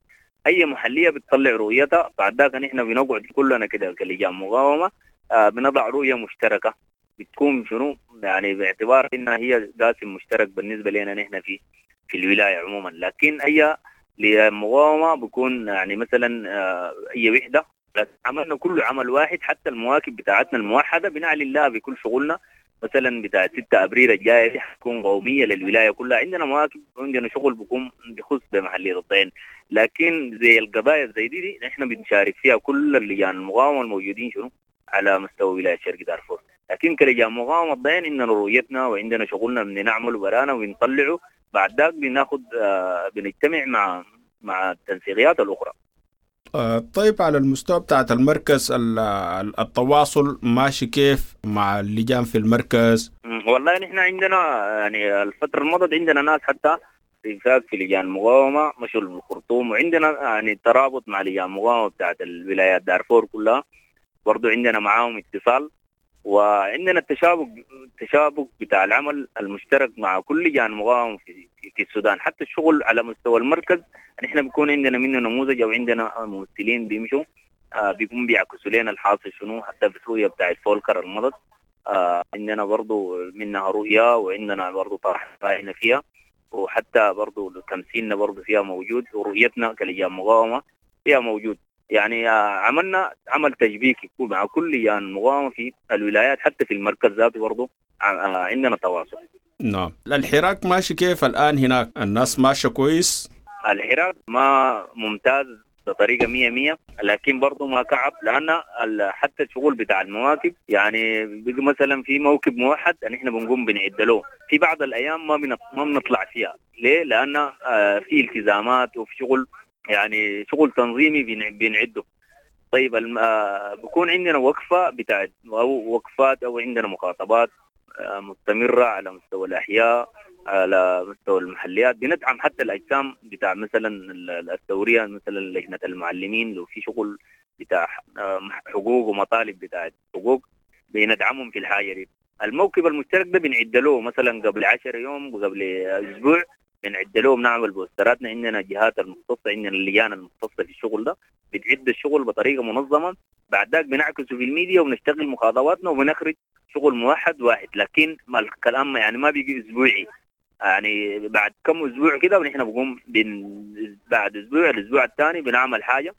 أي محلية بتطلع رؤيتها، بعد ذاك نحن بنقعد كلنا كده كلجان مقاومة بنضع رؤية مشتركة بتكون شنو يعني باعتبار انها هي قاسم مشترك بالنسبة لنا نحن في الولاية عموما. لكن اي لمقاومة بكون يعني مثلا اي وحده، عملنا كله عمل واحد، حتى المواكب بتاعتنا الموحدة بنعلن لها بكل شغلنا. مثلا بتاع 6 ابريل الجاية دي حتكون قومية للولاية كلها، عندنا مواكب وعندنا شغل بيكون بخص بمحليه الضعين. لكن زي القضايا زي دي نحن بنشارك فيها كل اللجان المقاومة الموجودين شنو على مستوى ولاية شرق دارفور. لكن كلجان مقاومة الضعين عندنا رؤيتنا وعندنا شغلنا بنعمله برانا وبنطلعه، بعد ذاك بناخد بنجتمع مع التنسيقيات الاخرى. طيب على المستوى بتاعت المركز التواصل ماشي كيف مع اللجان في المركز؟ والله نحن عندنا يعني الفترة الماضية عندنا ناس حتى في لجان مقاومة مشوا الخرطوم، وعندنا يعني ترابط مع لجان مقاومة بتاعت الولايات دارفور كلها، برضو عندنا معاهم اتصال، وعندنا التشابك بتاع العمل المشترك مع كل لجان مقاومة في السودان. حتى الشغل على مستوى المركز نحن بيكون عندنا منه نموذج او عندنا ممثلين بيمشوا بيكون بيعكسوا لنا الحاصل شنو. حتى في الرؤية بتاعت فولكر المضت عندنا برضو منها رؤية، وعندنا برضو طرح رأينا فيها، وحتى برضو تمثيلنا برضو فيها موجود، ورؤيتنا كلجان مقاومة فيها موجود. يعني عملنا عمل تشبيكي مع كل لجان مقاومة في الولايات، حتى في المركز ذاته برضو عندنا تواصل. نعم. الحراك ماشي كيف الآن هناك؟ الناس ماشية كويس؟ الحراك ما ممتاز بطريقة 100%، لكن برضو ما كعب، لأن حتى الشغل بتاع المواكب يعني بيجي مثلا في موكب موحد نحن بنقوم بنعد له في بعض الأيام ما بنطلع فيها. ليه؟ لأن في التزامات وفي شغل يعني شغل تنظيمي بنعده. طيب بكون عندنا وقفة بتاعت أو وقفات أو عندنا مخاطبات مستمرة على مستوى الأحياء، على مستوى المحليات، بندعم حتى الأجسام بتاع مثلا الثورية، مثلا لجنة المعلمين لو في شغل بتاع حقوق ومطالب بتاع حقوق بندعمهم في الحاجة دي. الموكب المشترك ده بنعد له مثلا قبل 10 يوم وقبل أسبوع بنعد له، بنعمل بوستراتنا، عندنا جهات المختصة، عندنا اللجان المختصة في الشغل ده بتعد الشغل بطريقة منظمة، بعد ذاك بنعكسه في الميديا وبنشتغل مخاطباتنا وبنخرج شغل موحد واحد. لكن ما الكلام يعني ما بيجي اسبوعي، يعني بعد كم اسبوع كده ونحن بنقوم بعد اسبوع الاسبوع الثاني بنعمل حاجة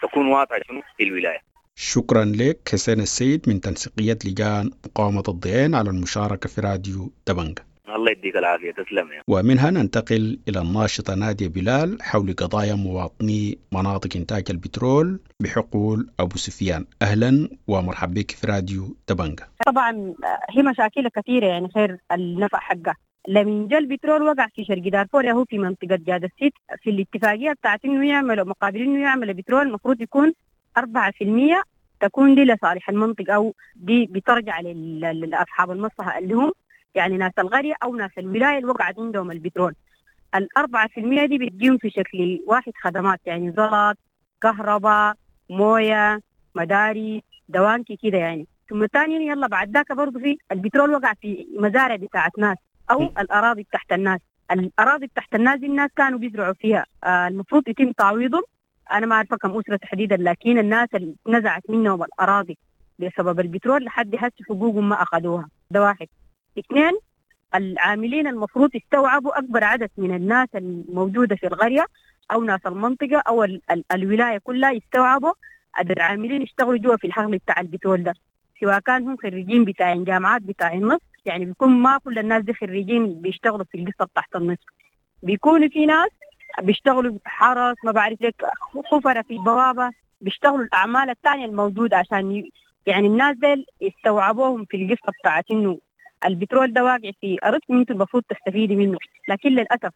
تكون واضحة شنو في الولاية. شكرا لك حسين السيد من تنسيقية لجان مقاومة الضعين على المشاركة في راديو دبنجة. الله يديك العافية، تسلم يا. ومنها ننتقل إلى الناشطة نادية بلال حول قضايا مواطني مناطق إنتاج البترول بحقول أبو سفيان. أهلا ومرحبا بك في راديو دبنجة. طبعا هي مشاكل كثيرة يعني غير النفع حقها. لمن جاء البترول وقع في شرق دارفور، هو في منطقة جاد السيت، في الاتفاقية بتاعت إنه يعملوا مقابل إنه يعمل بترول المفروض يكون 4% تكون دي لصالح المنطقة أو دي بترجع لأصحاب المصلحة اللي هم يعني ناس القرية أو ناس الولاية اللي وقعت عندهم البترول. 4% دي بتجيهم في شكل واحد خدمات، يعني زلط، كهرباء، موية، مدارس، دوانكي كده يعني. ثم ثانيا يلا بعد ذاك برضه في البترول وقع في مزارع بتاعت ناس أو الأراضي تحت الناس. الأراضي تحت الناس دي الناس كانوا بيزرعوا فيها، المفروض يتم تعويضهم. أنا ما أعرف كم أسرة تحديدا، لكن الناس اللي نزعت منهم الأراضي بسبب البترول لحد هسه حقوقهم ما أخذوها. ده واحد. اثنين، العاملين المفروض يستوعبوا أكبر عدد من الناس الموجودة في القرية أو ناس المنطقة أو الولاية كلها، يستوعبوا عدد العاملين يشتغلوا جوا في الحقل بتاع البترول ده، سواء كان هم خريجين بتاع جامعات بتاع النص، يعني بيكون ما كل الناس دي خريجين بيشتغلوا في القصة تحت النص، بيكونوا في ناس بيشتغلوا حرس، ما بعرف لك، خفرة في البوابة، بيشتغلوا الأعمال الثانية الموجودة عشان يعني الناس دي يستوعبوهم في القصة بتاعت إنه البترول ده واقع في أرضكم، انتم المفروض تستفيدي منه. لكن للأسف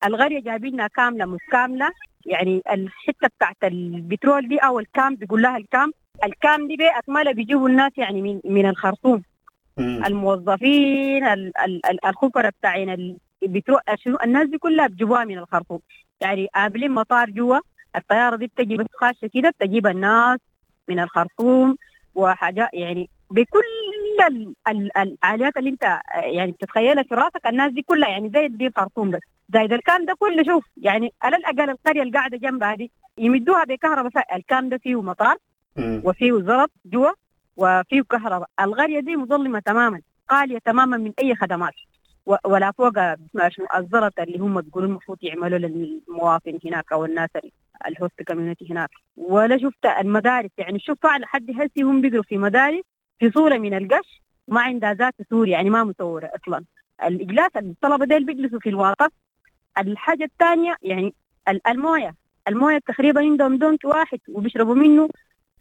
القرية جايبينها كاملة متكاملة، يعني الحتة بتاعت البترول دي أو ال camp، بيقول لها ال camp، ال camp دي بأكملها بيجيبوا الناس يعني من الخرطوم، الموظفين، الخبراء بتاعين البترول، شنو الناس دي كلها بجوها من الخرطوم. يعني قابلين مطار جوا، الطيارة دي بتجي بس خاشه كده بتجيب الناس من الخرطوم وحاجات، يعني بكل الآليات اللي انت يعني بتتخيلها في راسك الناس دي كلها، يعني زي دي الخرطوم بس زايد الكام ده كله. شوف يعني على الأقل القرية اللي قاعدة جنبها دي يمدوها بكهرباء، الكام ده فيه مطار وفيه زلط جوا وفيه كهرباء. القرية دي مظلمة تماما، خالية تماما من أي خدمات، ولا فوق الزلط اللي هم بيقولوا المفروض يعملوا للمواطن هناك أو الناس ال host community هناك. ولا شفت المدارس، يعني شوف فعلا حد هسي هم بيقروا في مدارس في صورة من القش ما عندها ذات سور، يعني ما مصورة أصلا. الإجلاس الطلبة ديل بيجلسوا في الواقف. الحاجة الثانية يعني الموية تقريبا عندهم دونك واحد وبيشربوا منه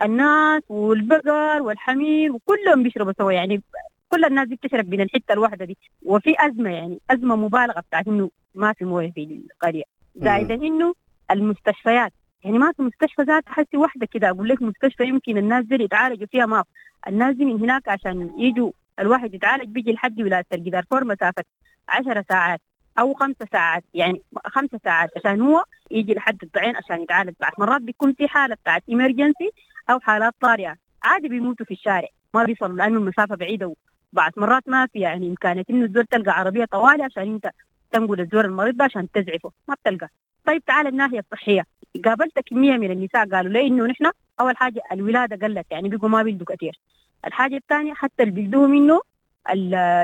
الناس والبقر والحمير وكلهم بيشربوا سوا، يعني كل الناس دي بتشرب من الحتة الواحدة دي. وفي أزمة، يعني أزمة مبالغة بتاعت إنه ما في موية في القرية. زائدا إنه المستشفيات، يعني ما في مستشفى ذات حسي واحدة كده أقول لك مستشفى يمكن الناس دي يتعالجوا فيها، ما الناس دي من هناك عشان يجوا الواحد يتعالج بيجي لحد ولاية شرق دارفور مسافة 10 ساعات أو 5 ساعات، يعني 5 ساعات عشان هو يجي لحد الضعين عشان يتعالج. بعد مرات بيكون في حالة بتاعت emergency أو حالات طارئة عادي بيموتوا في الشارع، ما بيصلوا لأنه المسافة بعيدة. وبعد مرات ما في يعني إمكانية إنه الزول تلقى عربية طوالي عشان أنت تنقل الزول المريض ده عشان تزعفه، ما بتلقى. طيب تعال الناحية الصحية، قابلت كمية من النساء قالوا لي إنه نحن أول حاجة الولادة قلت، يعني بيقوا ما بيلدوا كثير. الحاجة الثانية حتى اللي بيلدوه منه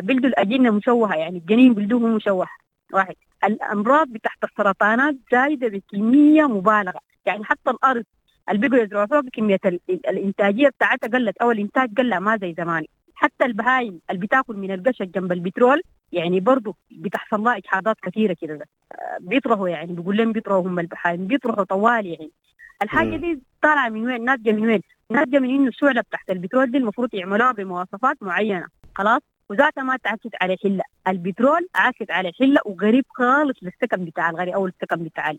بيلدوا الأجنة مشوهة، يعني الجنين بيلدوه مشوه. واحد الأمراض بتاعت السرطانات زايدة بكمية مبالغة، يعني حتى الأرض اللي بيقوا يزرعوا فوق كمية الإنتاجية بتاعتها قلت أو الإنتاج قل ما زي زمان. حتى البهايم اللي بتاكل من القشة جنب البترول يعني برضو بتحصل لها إجهاضات كثيرة كده، بيطرحوا يعني بيقول لهم بيطرحوا هم البهايم بيطرحوا طوال. يعني الحاجة دي طالعة من وين؟ ناتجة من وين؟ ناتجة من إنه الشعلة بتاعت البترول دي المفروض يعملوها بمواصفات معينة خلاص، وذاتها ما تعكس على حلة البترول، عاكس على حلة وقريب خالص للسكن بتاع الغرية أو السكن بتاع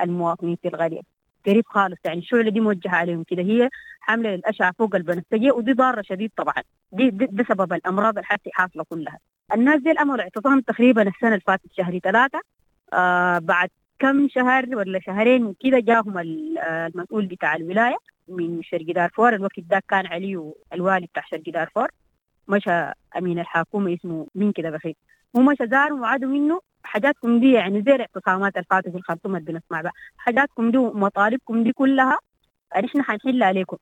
المواطنين في الغرية، قريب خالص. يعني الشعلة دي موجهة عليهم كده، هي حاملة للأشعة فوق البنفسجية ودي ضارة شديد طبعا. دي سبب الأمراض الحاسة حاصلة كلها. الناس دي الأمر اعتصام تقريبا السنة اللي فاتت شهر 3، بعد كم شهر ولا شهرين كده جاهم المسؤول بتاع الولاية من شرق دارفور، الوقت ده كان علي الوالي بتاع شرق دارفور، مشى أمين الحكومة اسمه مين كده بخيت، ومشى زارهم وعدوا منه حاجاتكم دي، يعني زي الاعتصامات الفاتت في الخرطوم اللي بنسمع بقى، حاجاتكم دي ومطالبكم دي كلها نحن حنحل عليكم.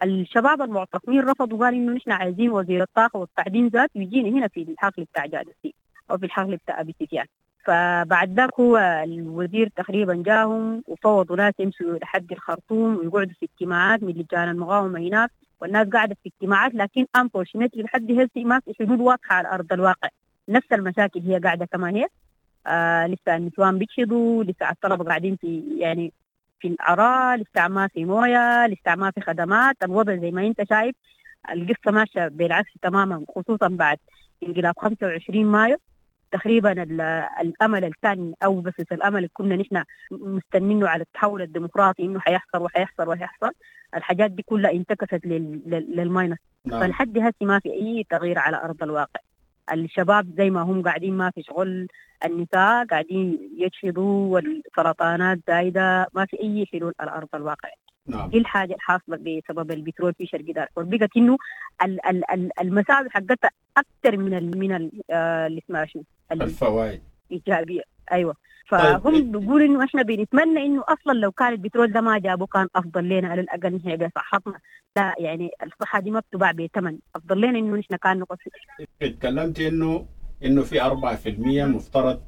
الشباب المعتصمين رفضوا، قال إنه نحن عايزين وزير الطاقة والتعدين ذات يجينا هنا في الحقل بتاع جادسي أو في الحقل بتاع أبي سفيان. فبعد ذاك هو الوزير تقريبا جاهم وفوضوا ناس يمشوا لحد الخرطوم ويقعدوا في اجتماعات من لجان المقاومة هناك، والناس قاعدة في اجتماعات، لكن unfortunately لحد هسه ما في حلول واضحة على أرض الواقع. نفس المشاكل هي قاعدة كما هي، لسه النسوان بيشهدوا، لسه الطلبة قاعدين في يعني في العراء، لسه ما في موية، لسه ما في خدمات. الوضع زي ما انت شايف القصة ماشية بالعكس تماما، خصوصا بعد انقلاب 25 مايو تقريبا. الأمل الثاني أو بس الأمل اللي كنا نحن مستنينه على التحول الديمقراطي إنه حيحصل وحيحصل وحيحصل، الحاجات دي كلها انتكست لل minus. نعم. فلحد هسه ما في أي تغيير على أرض الواقع. الشباب زي ما هم قاعدين ما في شغل، النساء قاعدين يجهضوا، والسرطانات زايدة، ما في أي حلول على أرض الواقع. نعم. دي الحاجة الحاصلة بسبب البترول في شرق دارفور، بقت إنه المساوئ حقتها أكثر من ال من اللي اسمها شنو، الفوائد إيجابية. أيوة. فهم طيب. بيقولوا إنه إحنا بنتمنى إنه أصلا لو كان البترول ده ما جابه كان أفضل لنا، على الأقل نحن بصحتنا. لا يعني الصحة دي ما بتباع بثمن، أفضل لنا إنه نحن كان نقص. اتكلمت إنه في 4% مفترض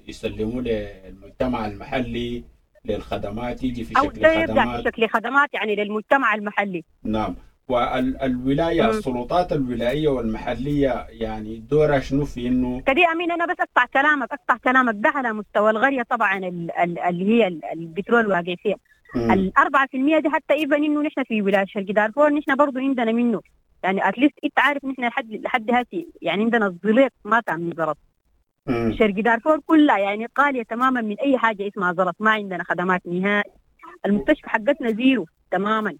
يسلموا للمجتمع المحلي للخدمات، يجي في شكل خدمات، في شكل خدمات يعني للمجتمع المحلي. نعم. والولاية السلطات الولائية والمحلية يعني دورها شنو في إنه كدي أمين؟ أنا بس أقطع كلامك ده على مستوى الغرية طبعا اللي هي البترول واقع فيها 4% دي، حتى even إنه نحن في ولاية شرق دارفور نحن برضو عندنا منه، يعني at least أنت عارف نحن لحد هاتي يعني عندنا الزليط ما تعمل زلط. شرق دارفور كلها يعني قالية تماما من أي حاجة اسمها زلط، ما عندنا خدمات نهائي، المستشفى حقتنا zero تماما،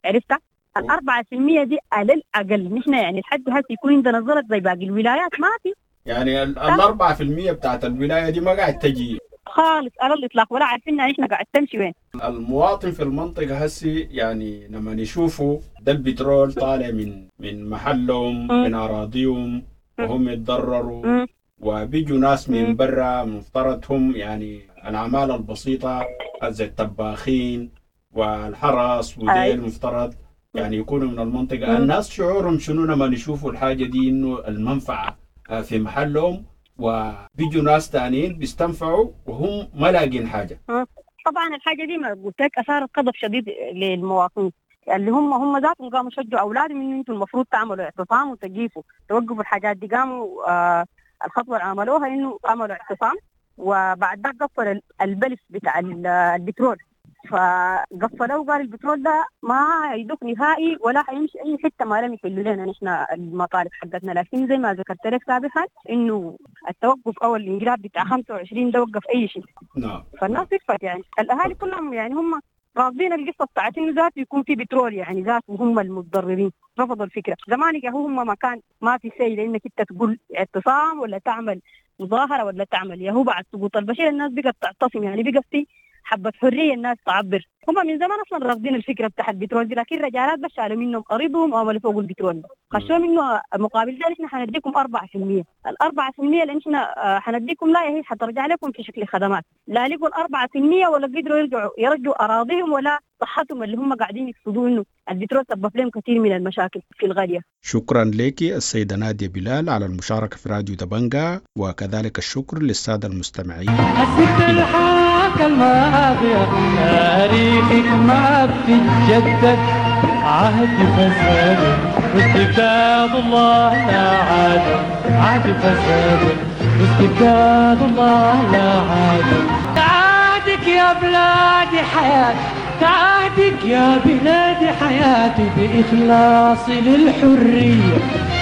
عرفتها؟ 4% دي على الأقل نحن يعني لحد هسه يكون عندنا زلط زي باقي الولايات ما في. يعني 4% بتاعت الولاية دي ما قاعد تجي خالص على الإطلاق، ولا عارفين نحن قاعد تمشي وين. المواطن في المنطقة هسي يعني لما يشوفوا ده البترول طالع من محلهم، من أراضيهم، وهم يتضرروا، وبيجوا ناس من برا مفترض هم يعني العمالة البسيطة زي الطباخين والحرس وديل مفترض يعني يكونوا من المنطقة. الناس شعورهم شنو لما يشوفوا الحاجة دي، إنه المنفعة في محلهم وبيجوا ناس تانيين بيستنفعوا وهم ما لاقين حاجة؟ طبعا الحاجة دي ما قلت لك أثارت غضب شديد للمواطنين اللي هم ذاتهم قاموا شجعوا أولادهم إنه أنتم المفروض تعملوا اعتصام وتجيفوا توقفوا الحاجات دي. قاموا الخطوة اللي عملوها إنه عملوا اعتصام، وبعد ذاك قفل البلف بتاع البترول، فقفلوه وقال البترول ده ما يدق نهائي ولا حيمشي أي حتة ما لم يحلوا لنا نحن المطالب حقتنا. لكن زي ما ذكرت لك سابقا إنه التوقف أو الانقلاب بتاع 25 ده وقف أي شيء. نعم. فالناس وقفت يعني الأهالي كلهم يعني هم رافضين القصة بتاعت إنه ذات يكون في بترول يعني ذات، وهم المتضررين رفضوا الفكرة. زمان هم ما كان ما في شيء لأنك أنت تقول اعتصام ولا تعمل مظاهرة ولا تعمل، يا هو بعد سقوط البشير الناس بقت تعتصم، يعني بقت في حبة حرية الناس تعبر. هم من زمان أصلا رافضين الفكرة بتاع البترول دي، لكن رجالات بس شالوا منهم أرضهم وعملوا فوق البترول، خشوا منه مقابل ذلك احنا حنديكم 4%، 4% اللي احنا حنديكم لا هي حترجع لكم في شكل خدمات، لا لقوا 4% ولا قدروا يرجعوا أراضيهم ولا صحتهم اللي هم قاعدين يقصدوا إنه البترول سبب لهم كثير من المشاكل في الغالية. شكرا لك السيدة نادية بلال على المشاركة في راديو دبنجا، وكذلك الشكر للسادة المستمعين. الحاكة الماضية تاريخك ما بتتجدد، عهد فساد واستبداد الله لا عاد، عهد فساد واستبداد الله لا عاد. تعادك يا بلادي حياتي، تعادك يا بلادي حياتي، بإخلاصي للحرية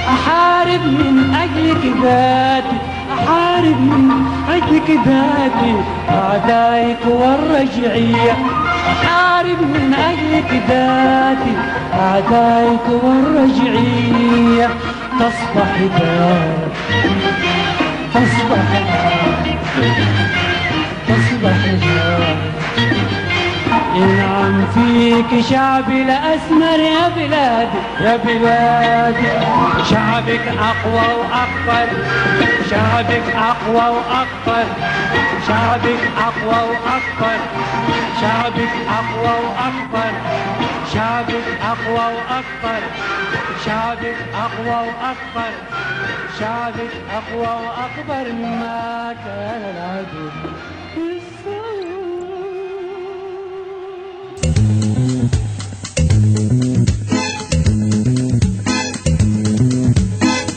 أحارب من أجلك ذاتي، أحارب من أجلك ذاتي أعدائك والرجعية، أحارب من أجلك ذاتي أعدائك والرجعية. تصبح دار، تصبح دار، تصبح دار. ينعم فيك شعبي الأسمر يا بلادي، يا بلادي شعبك أقوى وأكبر، شعبك أقوى وأكبر، شعبك أقوى وأكبر، شعبك أقوى وأكبر، شعبك أقوى وأكبر، شعبك أقوى وأكبر، شعبك أقوى وأكبر مما كان العدو.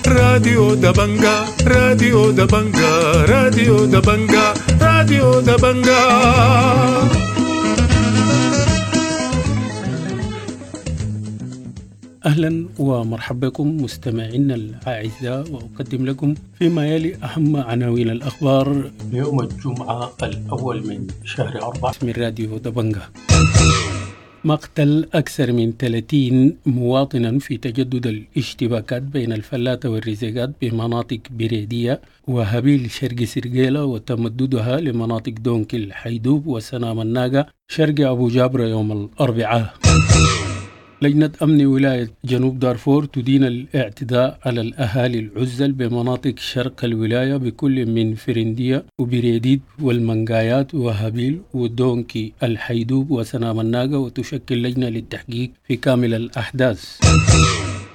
راديو دبنجا، راديو دبنجا، راديو دبنجا، راديو دبنجا. أهلا ومرحبا بكم مستمعينا الأعزاء، وأقدم لكم فيما يلي أهم عناوين الأخبار يوم الجمعة الأول من شهر 4 من راديو دبنجا. مقتل أكثر من 30 مواطنا في تجدد الاشتباكات بين الفلاتة والرزيقات بمناطق بريدية وهبيل شرق سرقيلة وتمددها لمناطق دونكل حيدوب وسنام الناقة شرق أبو جابر يوم الأربعاء. لجنة أمن ولاية جنوب دارفور تدين الاعتداء على الأهالي العزل بمناطق شرق الولاية بكل من فرندية وبريديد والمنقايات وهابيل ودونكي الحيدوب وسنام الناقة، وتشكل لجنة للتحقيق في كامل الأحداث.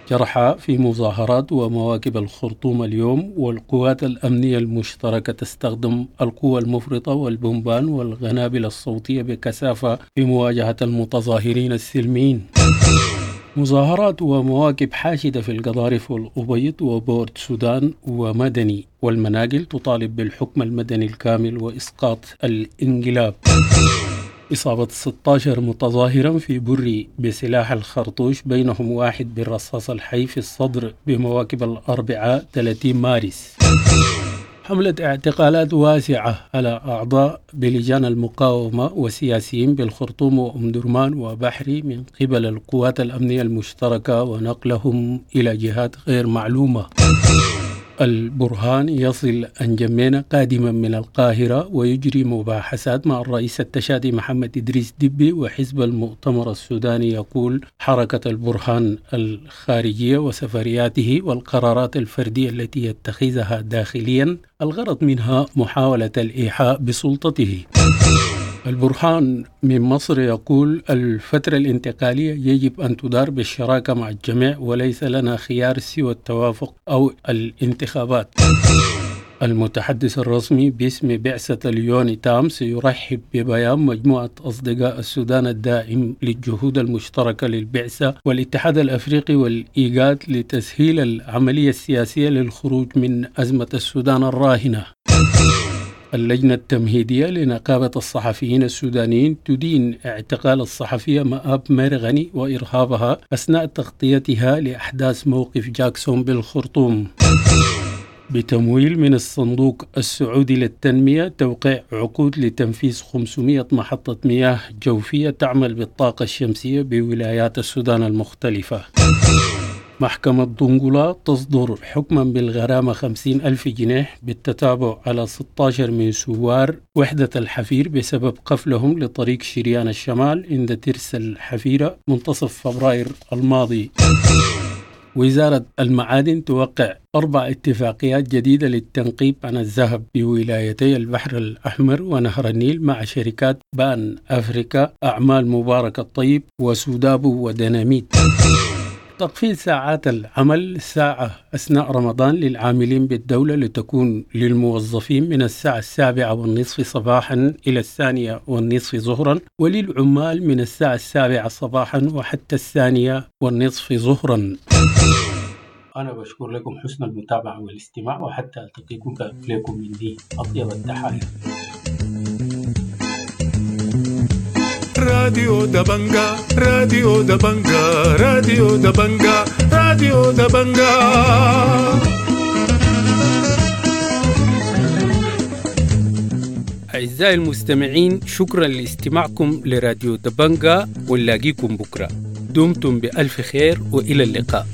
جرحى في مظاهرات ومواكب الخرطوم اليوم، والقوات الأمنية المشتركة تستخدم القوى المفرطة والبومبان والقنابل الصوتية بكثافة في مواجهة المتظاهرين السلميين. مظاهرات ومواكب حاشدة في القضارف والأبيض وبورت سودان ومدني والمناقل تطالب بالحكم المدني الكامل وإسقاط الانقلاب. إصابة 16 متظاهرا في بري بسلاح الخرطوش، بينهم واحد بالرصاص الحي في الصدر بمواكب الأربعاء 30 مارس. حملة اعتقالات واسعة على أعضاء بلجان المقاومة وسياسيين بالخرطوم وأم درمان وبحري من قبل القوات الأمنية المشتركة ونقلهم إلى جهات غير معلومة. البرهان يصل أنجمينا قادما من القاهرة ويجري مباحثات مع الرئيس التشادي محمد إدريس دبي وحزب المؤتمر السوداني. يقول حركة البرهان الخارجية وسفرياته والقرارات الفردية التي يتخذها داخليا الغرض منها محاولة الإيحاء بسلطته. البرهان من مصر يقول الفترة الانتقالية يجب أن تدار بالشراكة مع الجميع وليس لنا خيار سوى التوافق أو الانتخابات. المتحدث الرسمي باسم بعثة اليونيتام سيرحب ببيان مجموعة أصدقاء السودان الداعم للجهود المشتركة للبعثة والاتحاد الأفريقي والإيجاد لتسهيل العملية السياسية للخروج من أزمة السودان الراهنة. اللجنة التمهيدية لنقابة الصحفيين السودانيين تدين اعتقال الصحفية مآب ميرغني وإرهابها أثناء تغطيتها لأحداث موقف جاكسون بالخرطوم. بتمويل من الصندوق السعودي للتنمية توقيع عقود لتنفيذ 500 محطة مياه جوفية تعمل بالطاقة الشمسية بولايات السودان المختلفة. محكمة دنقلا تصدر حكما بالغرامة 50,000 جنيه بالتتابع على 16 من ثوار وحدة الحفير بسبب قفلهم لطريق شريان الشمال عند ترس الحفيرة منتصف فبراير الماضي. وزارة المعادن توقع 4 اتفاقيات جديدة للتنقيب عن الذهب بولايتي البحر الأحمر ونهر النيل مع شركات بان أفريكا، أعمال مبارك الطيب، وسودابو وديناميت. تقفيل ساعات العمل ساعة أثناء رمضان للعاملين بالدولة لتكون للموظفين من الساعة 7:30 صباحا إلى 2:30 ظهرا، وللعمال من الساعة 7 صباحا وحتى 2:30 ظهرا. أنا بشكر لكم حسن المتابعة والاستماع، وحتى ألتقيكم لكم مني أطيب التحايا. راديو دبنجا، راديو دبنجا، راديو دبنجا، راديو دبنجا. أعزائي المستمعين، شكرا لاستماعكم لراديو دبنجا، ونلاقيكم بكرة. دمتم بألف خير وإلى اللقاء.